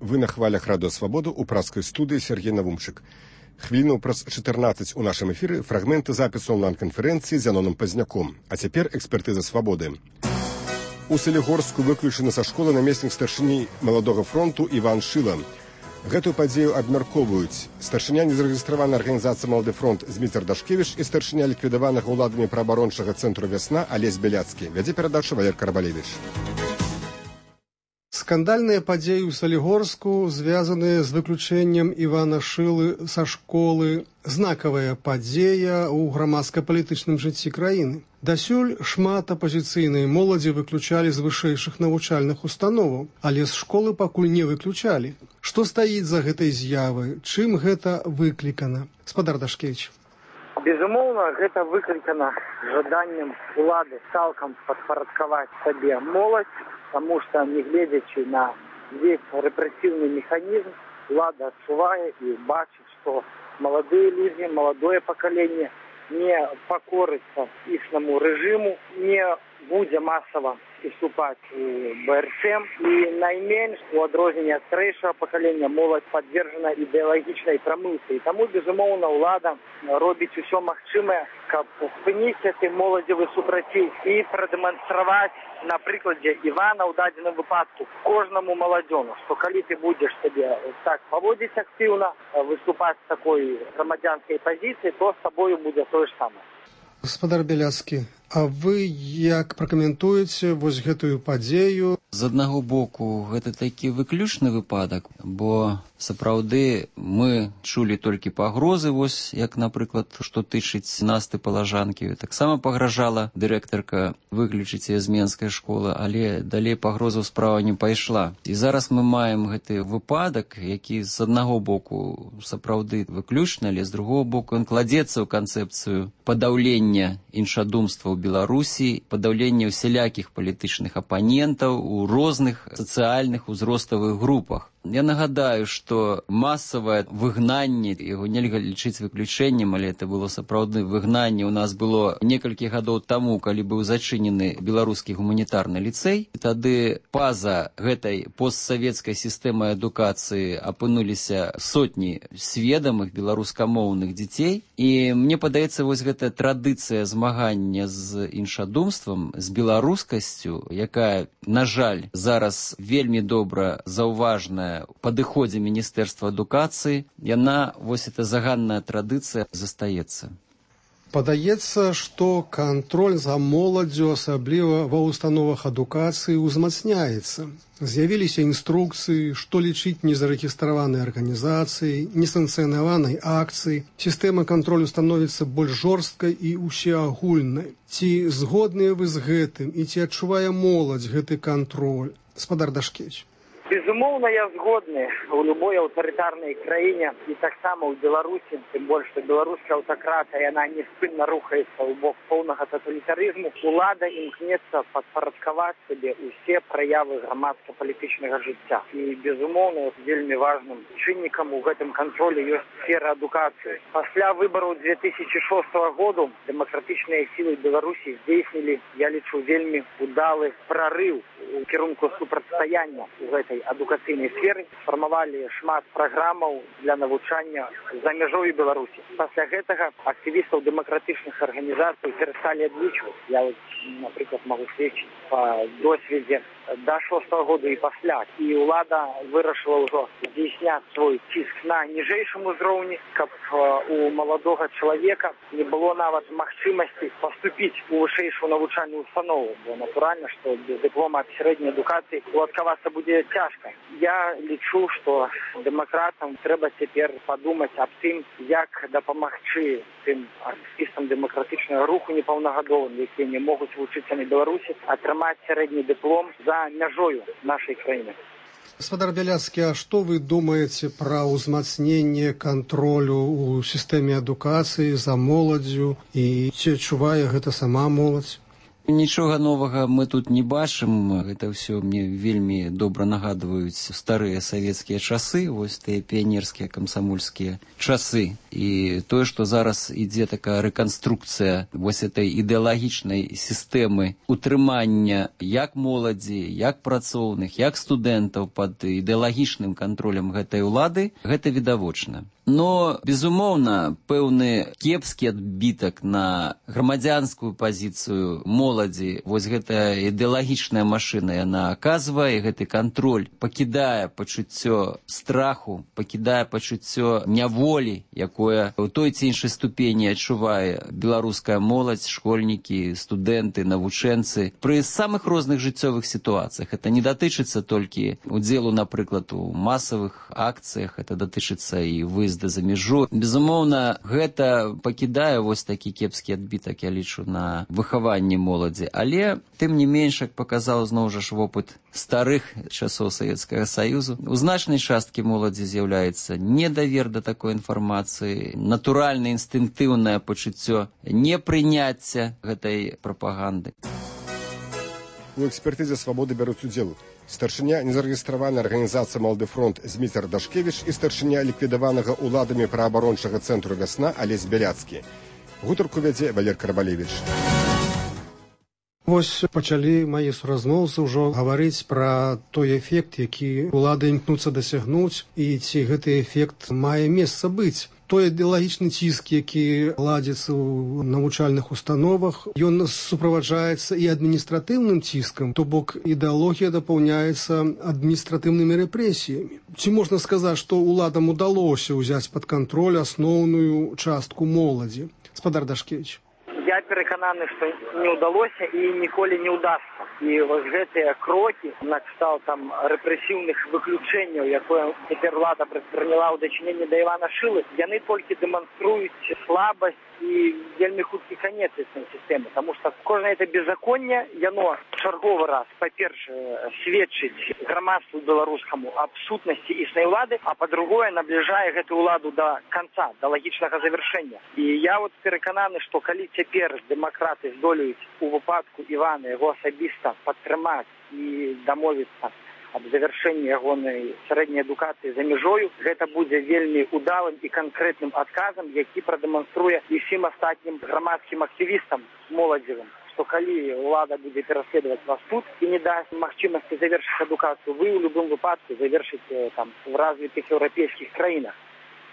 Вы на хвалях Радио Свободу у праскай студыі Сергей Навумчык. Хвіліну праз 14 у нашым эфіры фрагменты запісу онлайн-канферэнцыі з Зяноном Пазняком. А цяпер экспертыза свабоды. У Салігорску выключаны са школы намеснік старшыні Маладога фронту Іван Шыла. Гэтую падзею абмяркоўваюць старшыня незарэгістраванай арганізацыі «Малады фронт» Зміцер Дашкевіч і старшыня ліквідаванага ўладамі праабарончага цэнтру «Вясна» Алесь Бяляцкі. Вядзе перадачу Валер Карбалевіч. Скандальныя падзеі ў Салігорску, звязаныя з выключэннем Івана Шылы са школы, знакавая падзея ў грамадска-палітычным жыцці краіны. Дасюль шмат апазіцыйнай моладзі выключалі з вышэйшых навучальных установаў, але з школы пакуль не выключалі. Што стаіць за гэтай з'явай? Чым гэта выклікана? Спадар Дашкевіч. Безумоўна, гэта выклікана жаданнем улады цалкам падпарадкаваць сабе моладзь, потому что, не глядячи на весь репрессивный механизм, влада отчувает и бачит, что молодые люди, молодое поколение не покорится ихнему режиму, не будет массово і вступаць у БРСМ. І найменш, у адрозненне ад старэйшага пакалення, моладзь падвержана ідэалагічнай прамылцы. І таму, безумоўна, ўлада робіць усё магчымае, каб спыніць гэты моладзевы супраціў і прадэманстраваць на прыкладзе Івана ў дадзеным выпадку кожнаму маладзёну, што калі ты будзеш сабе так паводзіць актыўна, выступаць з такой грамадзянскай пазіцыі, то з табою будзе тое ж самае. Гаспадар Бяляцкі, а вы як пракаментуеце вось гэтую падзею? З аднаго боку, гэта такі выключны выпадак, бо сапраўды мы чулі толькі пагрозы, вось як, напрыклад, што тычыць Насты Палажанкі. Таксама пагражала дырэктарка выключыць яе з Менскай школы, але далей пагрозаў справа не пайшла. І зараз мы маем гэты выпадак, які з аднаго боку сапраўды выключны, але з другого боку ён кладзецца ў канцэпцыю падаўлення іншадумства ў Беларусі, падаўлення усялякіх палітычных апанентаў у розных сацыяльных узроставых групах. Я нагадаю, што масавае выгнанне, яго нельга лічыць выключэннем, але это было сапраўдны выгнанне. У нас было некалькі гадоў таму, калі быў зачынены беларускі гуманітарны ліцэй. І тады па-за гэтай постсавецкай сістэмай адукацыі апынуліся сотні сведамых беларускамоўных дзяцей. І мне падаецца, вось гэтая традыцыя змагання з іншадумствам, з беларускасцю, якая, на жаль, зараз вельмі добра заўважная у падыходзе Міністэрства адукацыі, яна, вось эта заганная традыцыя, застаецца. Падаецца, што кантроль за моладдзю, асабліва ва ўстановах адукацыі, узмацняецца. З'явіліся інструкцыі, што лічыць незарэгістраванай арганізацыяй, несанкцыянаванай акцыяй. Сістэма кантролю становіцца больш жорсткай і усеагульнай. Ці згодныя вы з гэтым і ці адчувае моладзь гэты кантроль? Гаспадар Дашкевіч. Безумоўна, я згодны. У любой аўтарытарнай краіне і таксама ў Беларусі, тым больш, што беларуская аўтакратыя, яна неспынна рухаецца ў бок поўнага таталітарызму. Улада імкнецца падпарадкаваць сабе ўсе праявы грамадска-палітычнага жыцця. І, безумоўна, вельмі важным чыннікам у гэтым кантролі ёсць сфера адукацыі. Пасля выбараў 2006 году дэмакратычныя сілы Беларусі здзейснілі, я лічу, вельмі удалы прарыў у кірунку супрацьстаяння у гэтай адукацыйнай сферы, сфармавалі шмат праграмаў для навучання за мяжой Беларусі. Пасля гэтага актывістаў дэмакратычных арганізацый перасталі адлічваць. Я, напрыклад, магу сведчыць па досведзе да 6-го года і пасля. І ўлада вырашыла ўжо здзейсняць свой ціск на ніжэйшым узроўні, каб у маладога чалавека не было нават магчымасці паступіць у вышэйшую навучальную установу. Бо натуральна, што без дыплома аб сярэдняй адукацыі уладкавацца будзе цяжка. Я лічу, што дэмакратам трэба цяпер падумаць аб тым, як дапамагчы тым актывістам дэмакратычнага руху непаўнагадовым, якія не могуць вучыцца на Беларусі, атрымаць сярэдні дыплом за мяжою нашай краіны. Гаспадар Бяляцкі, а што вы думаеце пра ўзмацненне кантролю ў сістэме адукацыі за моладдзю і ці адчувае гэта сама моладзь? Нічога новага мы тут не бачым. Гэта ўсё мне вельмі добра нагадваюць старыя савецкія часы, вось тыя піянерскія камсамольскія часы. І тое, што зараз ідзе такая рэканструкцыя вось этой ідэалагічнай сістэмы утрымання як моладзі, як працоўных, як студэнтаў пад ідэалагічным кантролем гэтай улады, гэта відавочна. Но, безумоўна, пэўны кепскі адбітак на грамадзянскую пазіцыю моладзі, вось гэтая ідэалагічная машына, яна аказвае, гэты кантроль пакідае пачуццё страху, пакідае пачуццё няволі, якое ў той ці іншай ступені адчувае беларуская моладзь, школьнікі, студэнты, навучэнцы пры самых розных жыццёвых сітуацыях. Это не датычыцца толькі удзелу, напрыклад, у масавых акцыях, это датычыцца і выезду за мяжу. Безумоўна, гэта пакідае вось такі кепскі адбітак, я лічу, на выхаванні моладзі. Але, тым не менш, як паказаў зноў жа вопыт старых часоў Савецкага Саюзу, у значнай часткі моладзі з'яўляецца недавер да такой інфармацыі, натуральна інстынктыўнае пачуццё непрыняцця гэтай прапаганды. У экспертызе «Свабоды» бяруць удзел старшыня незарэгістраванай арганізацыі «Малады фронт» Зміцер Дашкевіч і старшыня ліквідаванага ўладамі праабарончага цэнтру «Вясна» Алесь Бяляцкі. Гутарку вядзе Валер Карбалевіч. Вось пачалі мае суразмоўцы ўжо гаварыць пра той эфект, які ўлады імкнуцца дасягнуць, і ці гэты эфект мае месца быць. Той ідэалагічны ціск, які ладзіцца ў навучальных установах, ён суправаджаецца і адміністратыўным ціскам, то бок ідэалогія дапаўняецца адміністратыўнымі рэпрэсіямі. Ці можна сказаць, што ўладам удалося ўзяць пад кантроль асноўную частку моладзі? Спадар Дашкевіч. Я перакананы, што не ўдалося і ніколі не ўдасца. І вось гэтыя крокі на кшталт там рэпрэсіўных выключэнняў, якое цяпер ўлада прыняла ў дачыненні да Івана Шылы, яны толькі дэманструюць слабасць і вельмі хуткі канец існай сістэмы, таму што кожнае это беззаконне, яно чарговы раз, па-першае, сведчыць грамадству беларускаму аб сутнасці існай улады, а па-другое, набліжае гэтую уладу да канца, да лагічнага завяршэння. І я вот перакананы, што калі цяпер дэмакраты здолеюць у выпадку Івана яго асабіста падтрымаць і дамовіцца аб завяршэнні ягонай сярэдняй адукацыі за мяжою, гэта будзе вельмі удалым і канкрэтным адказам, які прадэманструе і ўсім астатнім грамадскім актывістам моладзевым, што калі ўлада будзе пераследаваць вас тут і не дасць магчымасці завершыць адукацыю, вы ў любым выпадку завершыце там в развітых еўрапейскіх краінах.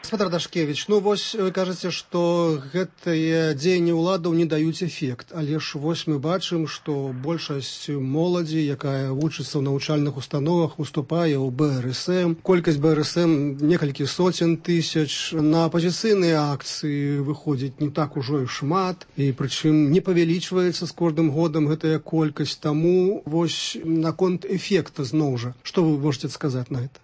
Спадар Дашкевіч, ну вось вы кажаце, што гэтыя дзеянні ўладаў не даюць эфект, але ж вось мы бачым, што большасць моладзі, якая вучыцца ў навучальных установах, уступае ў БРСМ. Колькасць БРСМ некалькі соцень тысяч. На апазіцыйныя акцыі выходзіць не так ужо і шмат, і прычым не павялічваецца з кожным годам гэтая колькасць. Таму вось наконт эфекта зноў жа, што вы можете сказаць на гэта?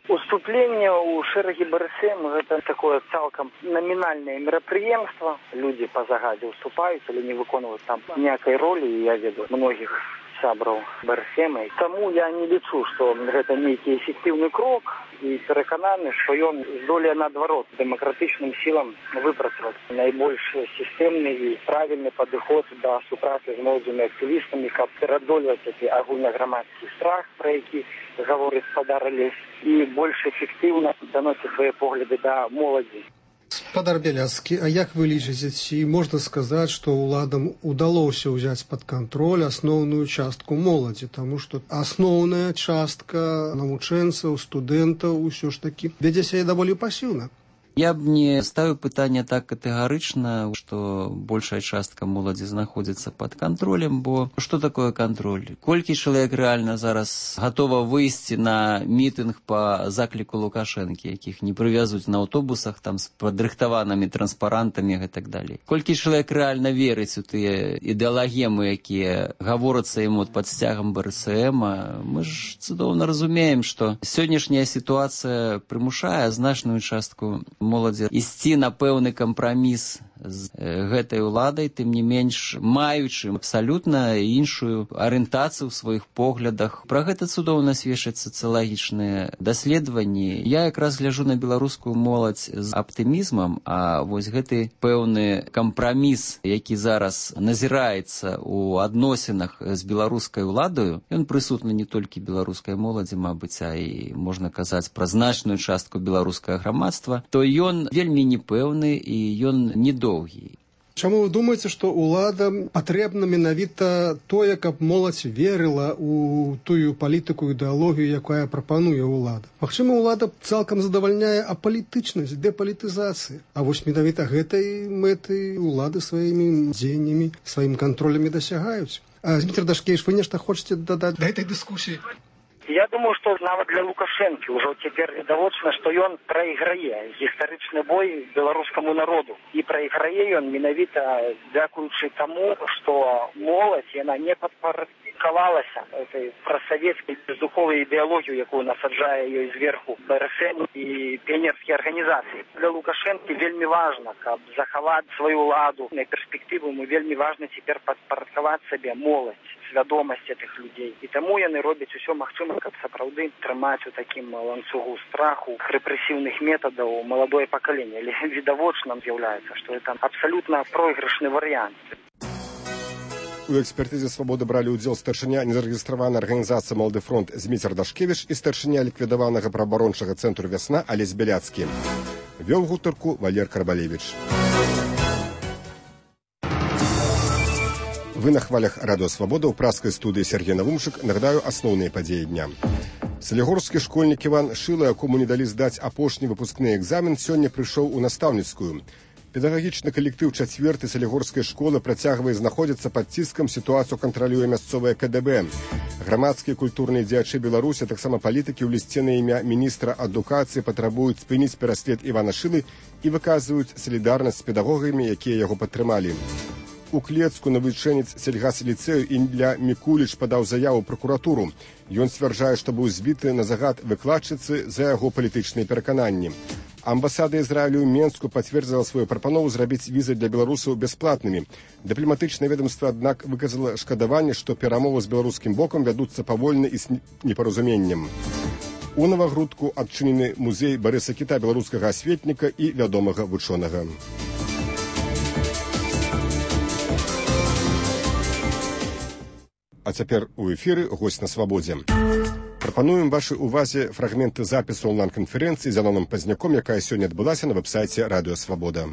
Уступленне ў шэрагі БРСМ гэта такое цалкам намінальнае мерапрыемства. Людзі па загадзе уступаюць, але не выконваюць там ніякай ролі, і я ведаю многіх сябраў БРСМ. Таму я не лічу, што гэта нейкі эфектыўны крок, і перакананы, што ён здолее наадварот дэмакратычным сілам выпрацаваць найбольш сістэмны і правільны падыход да супрацы з моладзевымі актывістамі, каб пераадольваць гэты агульнаграмадскі страх, пра які гаворыць спадар Алесь, і больш эфектыўна даносіць свае погляды да моладзі. Спадар Бяляцкі, а як вы лічыце, ці можна сказаць, што ўладам удалося ўзяць пад кантроль асноўную частку моладзі, таму што асноўная частка навучэнцаў, студэнтаў усё ж такі вядзе сябе даволі пасіўна? Я б не ставіў пытанне так катэгарычна, што большая частка моладзі знаходзіцца пад кантролем, бо што такое кантроль? Колькі чалавек рэальна зараз гатова выйсці на мітынг па закліку Лукашэнкі, якіх не прывязуць на аўтобусах там з падрыхтаванымі транспарантамі і так далей. Колькі чалавек рэальна верыць у тыя ідэалагемы, якія гаворацца ім пад сцягам БРСМ, мы ж цудоўна разумеем, што сённяшняя сітуацыя прымушае значную частку моладзі ісці на пэўны кампраміс з гэтай уладай, тым не менш маючы абсалютна іншую арыентацыю ў сваіх поглядах. Пра гэта цудоўна сведчаць сацыялагічныя даследаванні. Я якраз гляджу на беларускую моладзь з аптымізмам, а вось гэты пэўны кампраміс, які зараз назіраецца ў адносінах з беларускай уладаю, ён прысутны не толькі беларускай моладзі, мабыць, а і можна казаць пра значную частку беларускага грамадства, то ён вельмі непэўны і ён недоўгі. Чаму вы думаеце, што ўладам патрэбна менавіта тое, каб моладзь верыла ў тую палітыку, ідэалогію, якая прапануе ўлада? Магчыма, ўлада цалкам задавальняе апалітычнасць, дэпалітызацыі. А вось менавіта гэтай мэты ўлады сваімі дзеяннямі, сваім кантролямі дасягаюць. Зміцер Дашкевіч, вы нешта хочаце дадаць да гэтай дыскусіі? Я думаю, што нават для Лукашэнкі ўжо цяпер відавочна, што ён прайграе гістарычны бой беларускаму народу. І прайграе ён менавіта дзякуючы таму, што моладзь, яна не падпарадкавалася этой прасавецкай бездуховай ідэалогію, якую насаджае ёй зверху БРСМ і піянерскія арганізацыі. Для Лукашэнкі вельмі важна, каб захаваць сваю ўладу на перспектыву, вельмі важна цяпер падпарадкаваць сабе моладзь, свядомасць этих людзей. І таму яны робяць усё магчымае, каб сапраўды трымаць у такім ланцугу страху, рэпрэсіўных метадаў маладое пакаленне. Але відавочна з'яўляецца, што это абсалютна пройгрышны варыянт. У экспертызе «Свабоды» бралі ўдзел старшыня незарэгістраванай арганізацыі «Малады фронт» Зміцер Дашкевіч і старшыня ліквідаванага праабарончага цэнтру «Вясна» Алесь Бяляцкі. Вёў гутарку Валер Карбалевіч. Вы на хвалях Радио Свобода ў праскай студыі Сергей Навумчык. Нагадаю асноўныя падзеі дня. Салігорскі школьнік Іван Шыла, якому не далі здаць апошні выпускны экзамен, сёння прыйшоў у настаўніцкую. Педагагічны калектыў 4-й салігорскай школы працягвае знаходзіцца пад ціскам, сітуацыю кантралюе мясцовае КДБ. Грамадскія культурныя дзеячы Беларусі, таксама палітыкі ў лісце на імя міністра адукацыі патрабуюць спыніць пераслед Івана Шылы і выказваюць салідарнасць з педагогамі, якія яго падтрымалі. У Клецку навучэнец сельгас-ліцэю Ілля Мікуліч падаў заяву ў пракуратуру. Ён сцвярджае, што быў збіты на загад выкладчыцы за яго палітычныя перакананні. Амбасада Ізраілю ў Менску пацвердзіла сваю прапанову зрабіць візы для беларусаў бясплатнымі. Дыпламатычнае ведомства, аднак, выказала шкадаванне, што перамовы з беларускім бокам вядуцца павольна і з непаразуменнем. У Навагрудку адчынены музей Барыса Кіта, беларускага асветніка і вядомага вучонага. А цяпер у эфіры госць на свабодзе. Прапануем вашай увазе фрагменты запісу онлайн-канферэнцыі з Яноном Пазняком, якая сёння адбылася на вэб-сайце Радыё Свабода.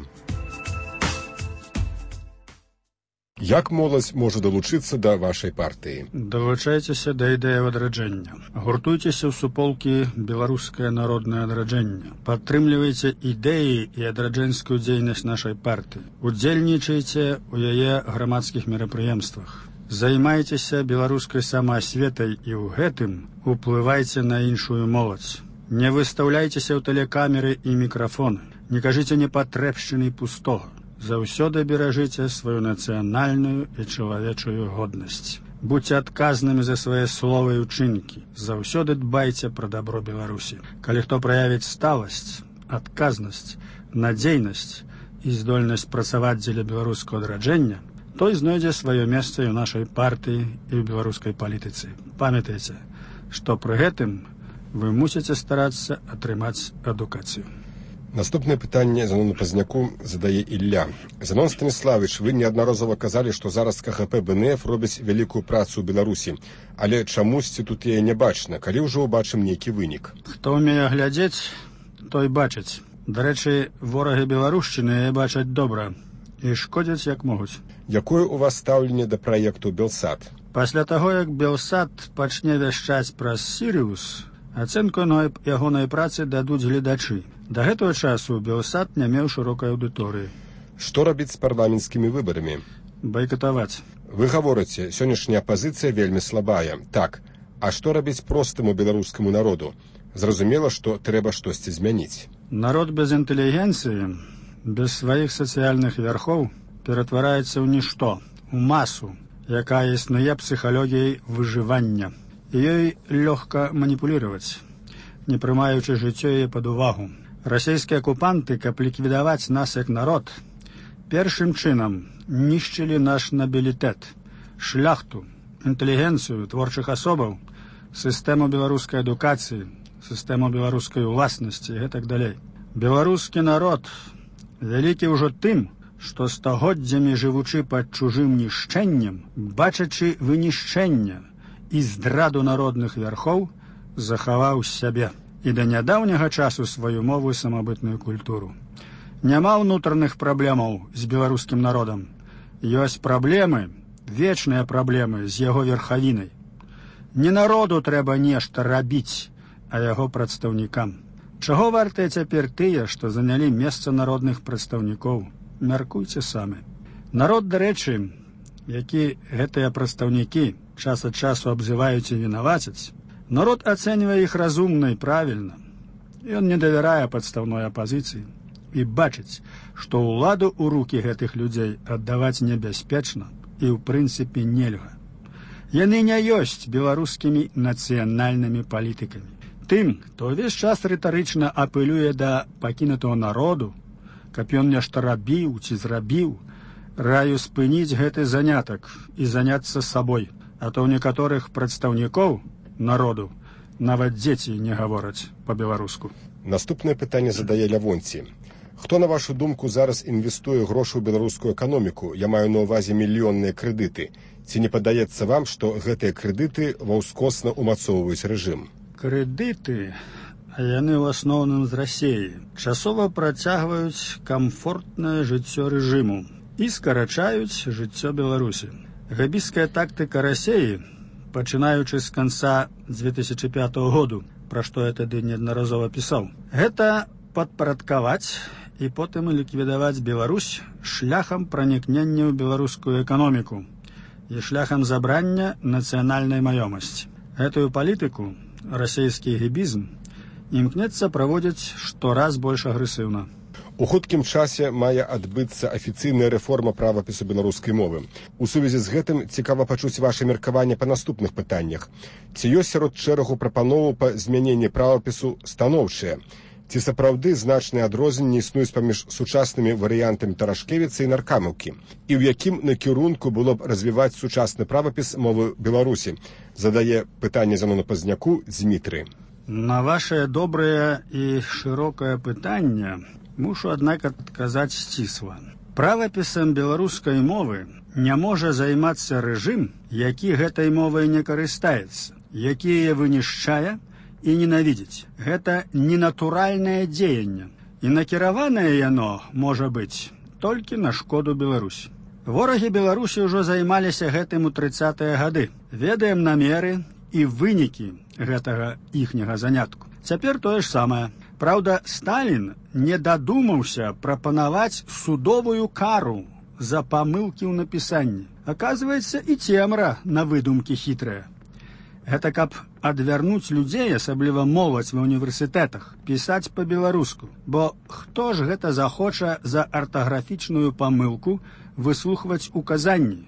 Як моладзь можа далучыцца да вашай партыі? Далучайцеся да ідэі адраджэння. Гуртуйцеся ў суполкі «Беларускае народнае адраджэнне». Падтрымлівайце ідэі і адраджэнскую дзейнасць нашай партыі. Удзельнічайце ў яе грамадскіх мерапрыемствах. Займайцеся беларускай самаасветай і ў гэтым уплывайце на іншую моладзь. Не выстаўляйцеся ў тэлекамеры і мікрафоны. Не кажыце непатрэбшчыны пустога. Заўсёды беражыце сваю нацыянальную і чалавечую годнасць. Будьце адказнымі за свае словы і ўчынкі. Заўсёды дбайце пра дабро Беларусі. Калі хто праявіць сталасць, адказнасць, надзейнасць і здольнасць працаваць дзеля беларускага адраджэння, той знойдзе сваё месца і ў нашай партыі і ў беларускай палітыцы. Памятайце, што пры гэтым вы мусіце старацца атрымаць адукацыю. Наступнае пытанне Занону Пазняку задае Ілля. Занон Станіславович, вы неаднаразова казалі, што зараз КХП БНФ робіць вялікую працу ў Беларусі, але чамусьці тут яе не бачна, калі ўжо ўбачым нейкі вынік. Хто ўмее глядзець, той бачыць. Дарэчы, ворагі беларушчыны яе бачаць добра і шкодзяць як могуць. Якое у вас стаўленне да праекту Белсат? Пасля таго, як Белсат пачне вяшчаць праз Сірыус, ацэнку ягонай працы дадуць гледачы. Да гэтага часу Белсат не меў шырокай аўдыторыі. Што рабіць з парламенцкімі выбарамі? Байкатаваць. Вы гаворыце, сённяшняя апазіцыя вельмі слабая. Так, а што рабіць простаму беларускаму народу? Зразумела, што трэба штосьці змяніць. Народ без інтэлігенцыі, без сваіх сацыяльных вярхоў ператвараецца ў нішто, у масу, якая існуе псіхалогіяй выжывання. Ёй лёгка маніпуліраваць, не прымаючы жыццё яе пад увагу. Расійскія акупанты, каб ліквідаваць нас як народ, першым чынам нішчылі наш набілітэт, шляхту, інтэлігенцыю творчых асобаў, сістэму беларускай адукацыі, сістэму беларускай уласнасці і гэтак далей. Беларускі народ вялікі ўжо тым, што стагоддзямі жывучы пад чужым нішчэннем, бачачы вынішчэнне і здраду народных вярхоў, захаваў сябе і да нядаўняга часу сваю мову і самабытную культуру. Няма ўнутраных праблемаў з беларускім народам. Ёсць праблемы, вечныя праблемы з яго верхавінай. Не народу трэба нешта рабіць, а яго прадстаўнікам. Чаго вартыя цяпер тыя, што занялі месца народных прадстаўнікоў? Мяркуйце самі. Народ, дарэчы, які гэтыя прадстаўнікі час ад часу абзываюць і вінавацяць, народ ацэньвае іх разумна і правільна. Ён не давярае падстаўной апазіцыі і бачыць, што ўладу ў рукі гэтых людзей аддаваць небяспечна і ў прынцыпе нельга. Яны не ёсць беларускімі нацыянальнымі палітыкамі. Тым, хто ўвесь час рытарычна апелюе да пакінутага народу, каб ён нешта рабіў ці зрабіў, раю спыніць гэты занятак і заняцца сабой, а то ў некаторых прадстаўнікоў народу нават дзеці не гавораць па-беларуску. Наступнае пытанне задае Лявонці. Хто, на вашу думку, зараз інвестуе грошы ў беларускую эканоміку? Я маю на ўвазе мільённыя крэдыты. Ці не падаецца вам, што гэтыя крэдыты ваўскосна ўмацоўваюць рэжым? Крэдыты, а яны ў асноўным з Расіі, часова працягваюць камфортнае жыццё рэжыму і скарачаюць жыццё Беларусі. Габійская тактыка Расеі, пачынаючы з канца 2005 году, пра што я тады неаднаразова пісаў, гэта падпарадкаваць і потым ліквідаваць Беларусь шляхам пранікнення ў беларускую эканоміку і шляхам забрання нацыянальнай маёмасці. Гэтую палітыку расійскі гібізм імкнецца праводзіць штораз больш агрэсіўна. У хуткім часе мае адбыцца афіцыйная рэформа правапісу беларускай мовы. У сувязі з гэтым цікава пачуць ваша меркаванне па наступных пытаннях. Ці ёсць сярод шэрагу прапановаў па змяненні правапісу станоўчыя? Ці сапраўды значныя адрозненні існуюць паміж сучаснымі варыянтамі Тарашкевіца і Наркамаўкі? І ў якім накірунку было б развіваць сучасны правапіс мовы Беларусі? Задае пытанне Зянону Пазняку Дзмітрый. На ваше добрае і шырокае пытанне мушу, аднак, адказаць сцісла. Правапісам беларускай мовы не можа займацца рэжым, які гэтай мовай не карыстаецца, які яе вынішчае і ненавідзіць. Гэта ненатуральнае дзеянне, і накіраванае яно можа быць толькі на шкоду Беларусі. Ворагі Беларусі ўжо займаліся гэтым у 30-е гады. Ведаем намеры і вынікі гэтага іхняга занятку. Цяпер тое ж самае. Праўда, Сталін не дадумаўся прапанаваць судовую кару за памылкі ў напісанні. Аказваецца, і цемра на выдумкі хітрая. Гэта каб адвярнуць людзей, асабліва моладзь ва універсітэтах, пісаць па-беларуску. Бо хто ж гэта захоча за артаграфічную памылку выслухваць указанні,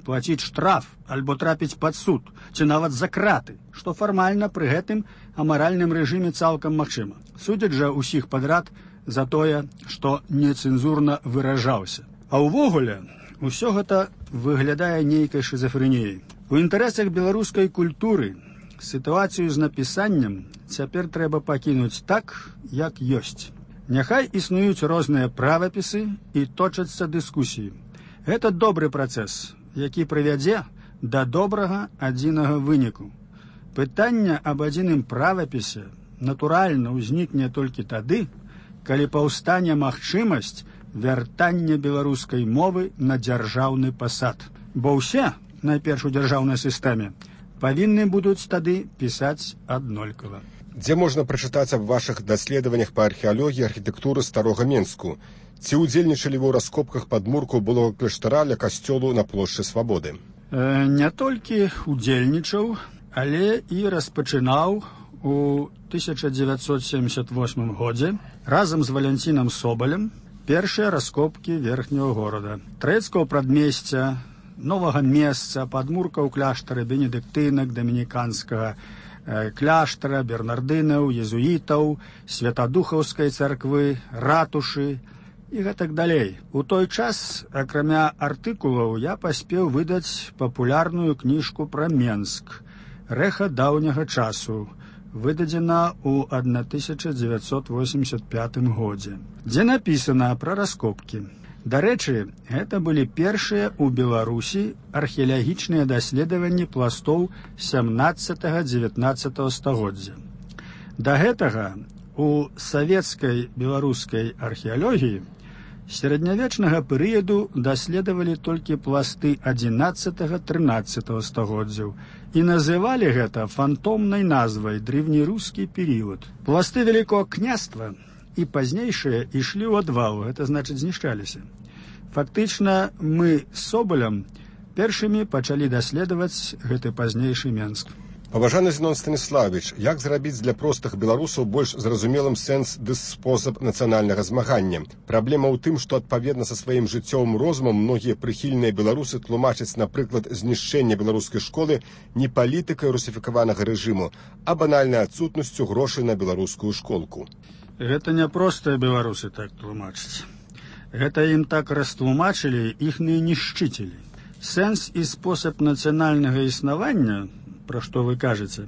плаціць штраф альбо трапіць пад суд, ці нават за краты, што фармальна пры гэтым амаральным рэжыме цалкам магчыма. Судзяць жа ўсіх падрад за тое, што нецэнзурна выражаўся. А ўвогуле, усё гэта выглядае нейкай шызафрэніяй. У інтарэсах беларускай культуры сітуацыю з напісаннем цяпер трэба пакінуць так, як ёсць. Няхай існуюць розныя правапісы і точацца дыскусіі. Гэта добры працэс, які прывядзе да добрага адзінага выніку. Пытанне аб адзіным правапісе натуральна ўзнікне толькі тады, калі паўстане магчымасць вяртання беларускай мовы на дзяржаўны пасад. Бо ўсе, найперш у дзяржаўнай сістэме, павінны будуць тады пісаць аднолькава. Дзе можна прачытаць аб вашых даследаваннях па археалогіі архітэктуры старога Менску? Ці ўдзельнічалі вы ў раскопках падмуркаў былога кляштара ля касцёлу на плошчы Свабоды? Не толькі ўдзельнічаў, але і распачынаў у 1978 годзе разам з Валянцінам Собалем першыя раскопкі верхняга горада. Трэцкага прадмесця, новага месца, падмуркаў кляштара бенедыктынак, дамініканскага кляштара, бернардынаў, езуітаў, святадухаўскай царквы, ратушы і гэтак далей. У той час, акрамя артыкулаў, я паспеў выдаць папулярную кніжку пра Менск «Рэха даўняга часу», выдадзена ў 1985 годзе, дзе напісана пра раскопкі. Дарэчы, гэта былі першыя ў Беларусі археалагічныя даследаванні пластоў 17-19 стагоддзя. Да гэтага у савецкай беларускай археалогіі сярэднявечнага перыяду даследавалі толькі пласты 11-13 стагоддзяў і называлі гэта фантомнай назвай древнерускі перыяд. Пласты Вялікога княства і пазнейшыя ішлі ў адвал, гэта значыць знішчаліся. Фактычна мы з Собалем першымі пачалі даследаваць гэты пазнейшы Менск. Паважаны Зенон Станіславович, як зрабіць для простых беларусаў больш зразумелым сэнс ды спосаб нацыянальнага змагання? Праблема ў тым, што адпаведна са сваім жыццёвым розумам многія прыхільныя беларусы тлумачаць, напрыклад, знішчэнне беларускай школы не палітыкай русіфікаванага рэжыму, а банальнай адсутнасцю грошай на беларускую школку. Гэта не простыя беларусы так тлумачаць. Гэта ім так растлумачылі іхныя нішчыцелі. Сэнс і спосаб нацыянальнага існавання, пра што вы кажаце,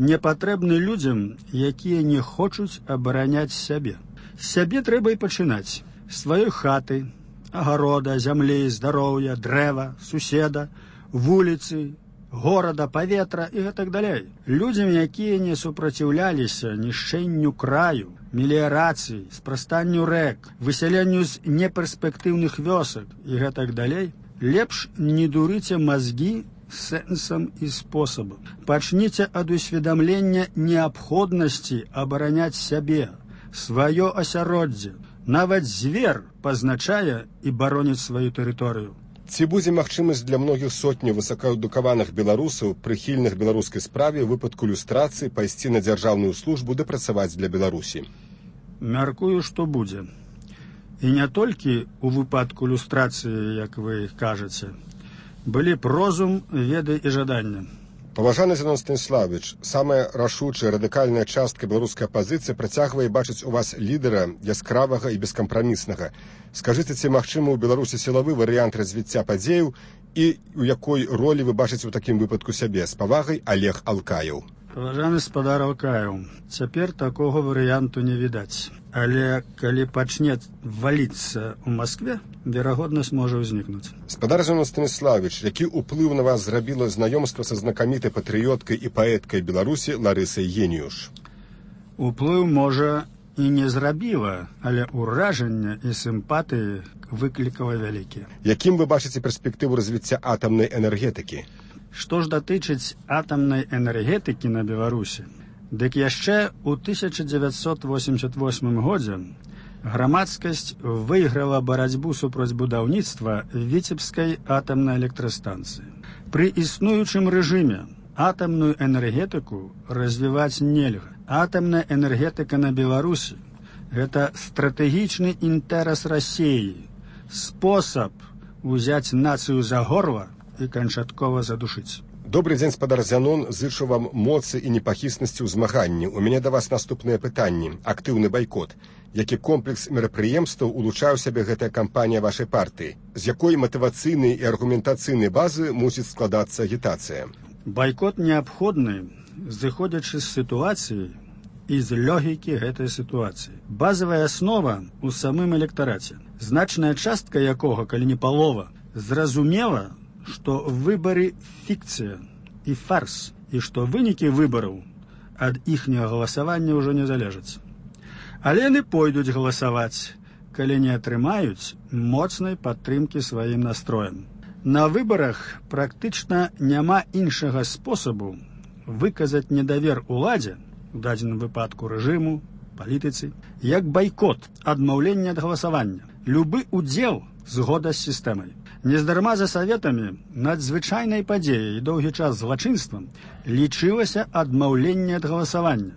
не патрэбны людзям, якія не хочуць абараняць сябе. З сябе трэба і пачынаць. З сваёй хаты, агарода, зямлі, здароўя, дрэва, суседа, вуліцы, горада, паветра і гэтак далей. Людзям, якія не супраціўляліся нішчэнню краю, меліярацыі, спрастанню рэк, высяленню з неперспектыўных вёсак і гэтак далей, Лепш не дурыце мозги сэнсам і спосабам. Пачніце ад усведамлення неабходнасці абараняць сябе, сваё асяроддзе. Нават звер пазначае і бароніць сваю тэрыторыю. Ці будзе магчымасць для многіх сотняў высокаадукаваных беларусаў, прыхільных беларускай справе, у выпадку люстрацыі пайсці на дзяржаўную службу ды працаваць для Беларусі? Мяркую, што будзе. І не толькі у выпадку люстрацыі, як вы кажаце. Былі б розум, веды і жаданне. Паважаны Зянон Станіславович, самая рашучая радыкальная частка беларускай апазіцыі працягвае бачыць у вас лідара яскравага і бескампраміснага. Скажыце, ці магчымы ў Беларусі сілавы варыянт развіцця падзеяў і у якой ролі вы бачыце ў такім выпадку сябе? З павагай, Олег Алкаев. Паважаны спадар Алкаев, цяпер такога варыянту не відаць. Але калі пачне валіцца ў Маскве, верагоднасць можа ўзнікнуць. Спадар Зянон Станіславович, які ўплыў на вас зрабіла знаёмства са знакамітай патрыёткай і паэткай Беларусі Ларысай Геніюш? Уплыў, можа, і не зрабіла, але ўражанне і сімпатыі выклікала вялікія. Якім вы бачыце перспектыву развіцця атамнай энергетыкі? Што ж датычыць атамнай энергетыкі на Беларусі, дык яшчэ ў 1988 годзе грамадскасць выйграла барацьбу супраць будаўніцтва Віцебскай атамнай электрастанцыі. Пры існуючым рэжыме атамную энергетыку развіваць нельга. Атамная энергетыка на Беларусі – гэта стратэгічны інтэрас Расіі, спосаб узяць нацыю за горла і канчаткова задушыць. Добрый дзень, спадар Зянон, зычу вам моцы і непахіснасці ў змаганні. У мяне да вас наступныя пытанні. Актыўны байкот. Які комплекс мерапрыемстваў улучшае ў сябе гэтая кампанія вашай партыі? З якой матывацыйнай і аргументацыйнай базы мусіць складацца агітацыя? Байкот неабходны, зыходзячы з сітуацыі і з логікі гэтай сітуацыі. Базавая аснова ў самым электараце, значная частка якога, калі не палова, зразумела, што выбары фікцыя і фарс, і што вынікі выбараў ад іхняга галасавання ўжо не залежаць. Але яны пойдуць галасаваць, калі не атрымаюць моцнай падтрымкі сваім настроем. На выбарах практычна няма іншага спосабу выказаць недавер уладзе, у дадзеным выпадку рэжыму, палітыцы, як байкот, адмаўленне ад галасавання. Любы удзел згода з сістэмай. Нездарма за саветамі надзвычайнай падзеяй і доўгі час злачынствам лічылася адмаўленне ад галасавання.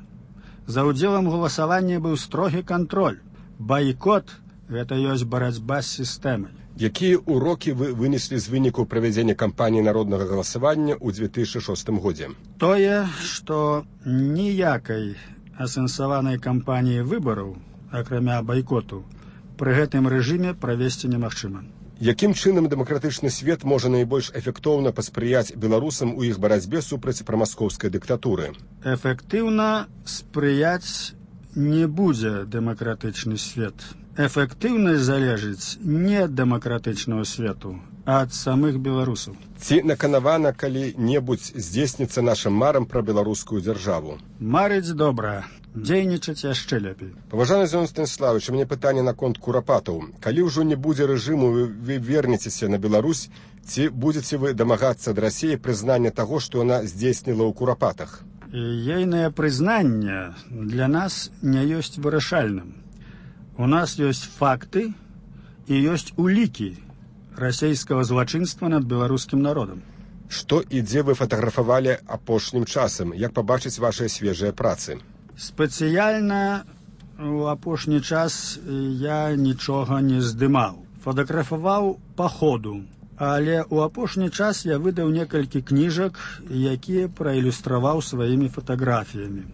За ўдзелам галасавання быў строгі кантроль. Байкот – гэта ёсць барацьба з сістэмай. Якія урокі вы вынеслі з выніку правядзення кампаніі народнага галасавання ў 2006 годзе? Тое, што ніякай асэнсаванай кампаніі выбараў, акрамя байкоту, пры гэтым рэжыме правесці немагчыма. Якім чынам дэмакратычны свет можа найбольш эфектыўна паспрыяць беларусам у іх барацьбе супраць прамаскоўскай дыктатуры? Эфектыўна спрыяць не будзе дэмакратычны свет. Эфектыўнасць залежыць не ад дэмакратычнага свету, а ад самых беларусаў. Ці наканавана калі-небудзь здзейсніцца нашым марам пра беларускую дзяржаву? Марыць добра. Дзейнічаць яшчэ лепей. Паважаны Зянон Станіславович, у мяне пытанне наконт курапатаў. Калі ўжо не будзе рэжыму, вы вернецеся на Беларусь, ці будзеце вы дамагацца ад Расіі прызнання таго, што яна здзейсніла ў курапатах? Ейнае прызнанне для нас не ёсць вырашальным. У нас ёсць факты і ёсць улікі расійскага злачынства над беларускім народам. Што і дзе вы фатаграфавалі апошнім часам? Як пабачыць вашыя свежыя працы? Спецыяльна у апошні час я нічога не здымаў. Фатаграфаваў па ходу, але ў апошні час я выдаў некалькі кніжак, якія праілюстраваў сваімі фатаграфіямі.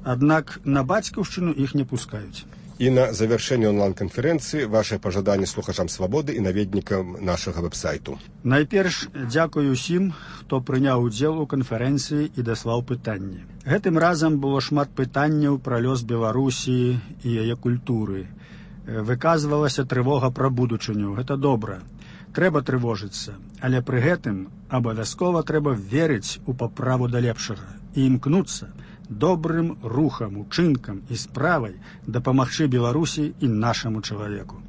Аднак на бацькаўшчыну іх не пускаюць. І на завяршэнне онлайн-канферэнцыі вашае пажаданне слухачам свабоды і наведнікам нашага вэб-сайту. Найперш дзякую ўсім, хто прыняў удзел у канферэнцыі і даслаў пытанні. Гэтым разам было шмат пытанняў пра лёс Беларусі і яе культуры. Выказвалася трывога пра будучыню. Гэта добра. Трэба трывожыцца, але пры гэтым абавязкова трэба верыць у паправу да лепшага і імкнуцца добрым рухам, учынкам і справай дапамагчы Беларусі і нашаму чалавеку.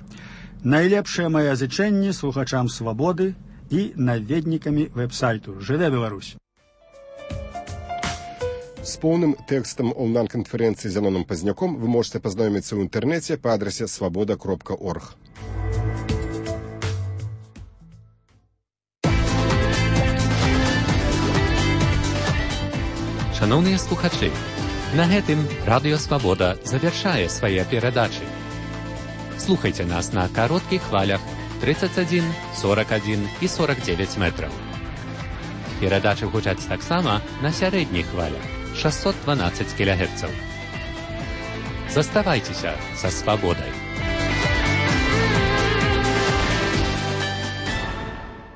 Найлепшае мае зычэнні слухачам свабоды і наведнікамі вэб-сайту. Жыве Беларусь! С полным текстом онлайн-конференции с Зяноном Поздняком вы можете познакомиться в интернете по адресе svoboda.org. Шановні слухачі, на гэтым Радіо Свабода завяршае свае перадачы. Слухайте нас на кароткіх хвалях 31, 41 і 49 метраў. Перадачы гучаць таксама на сярэдніх хвалях 612 кГц. Заставайцеся са свабодай.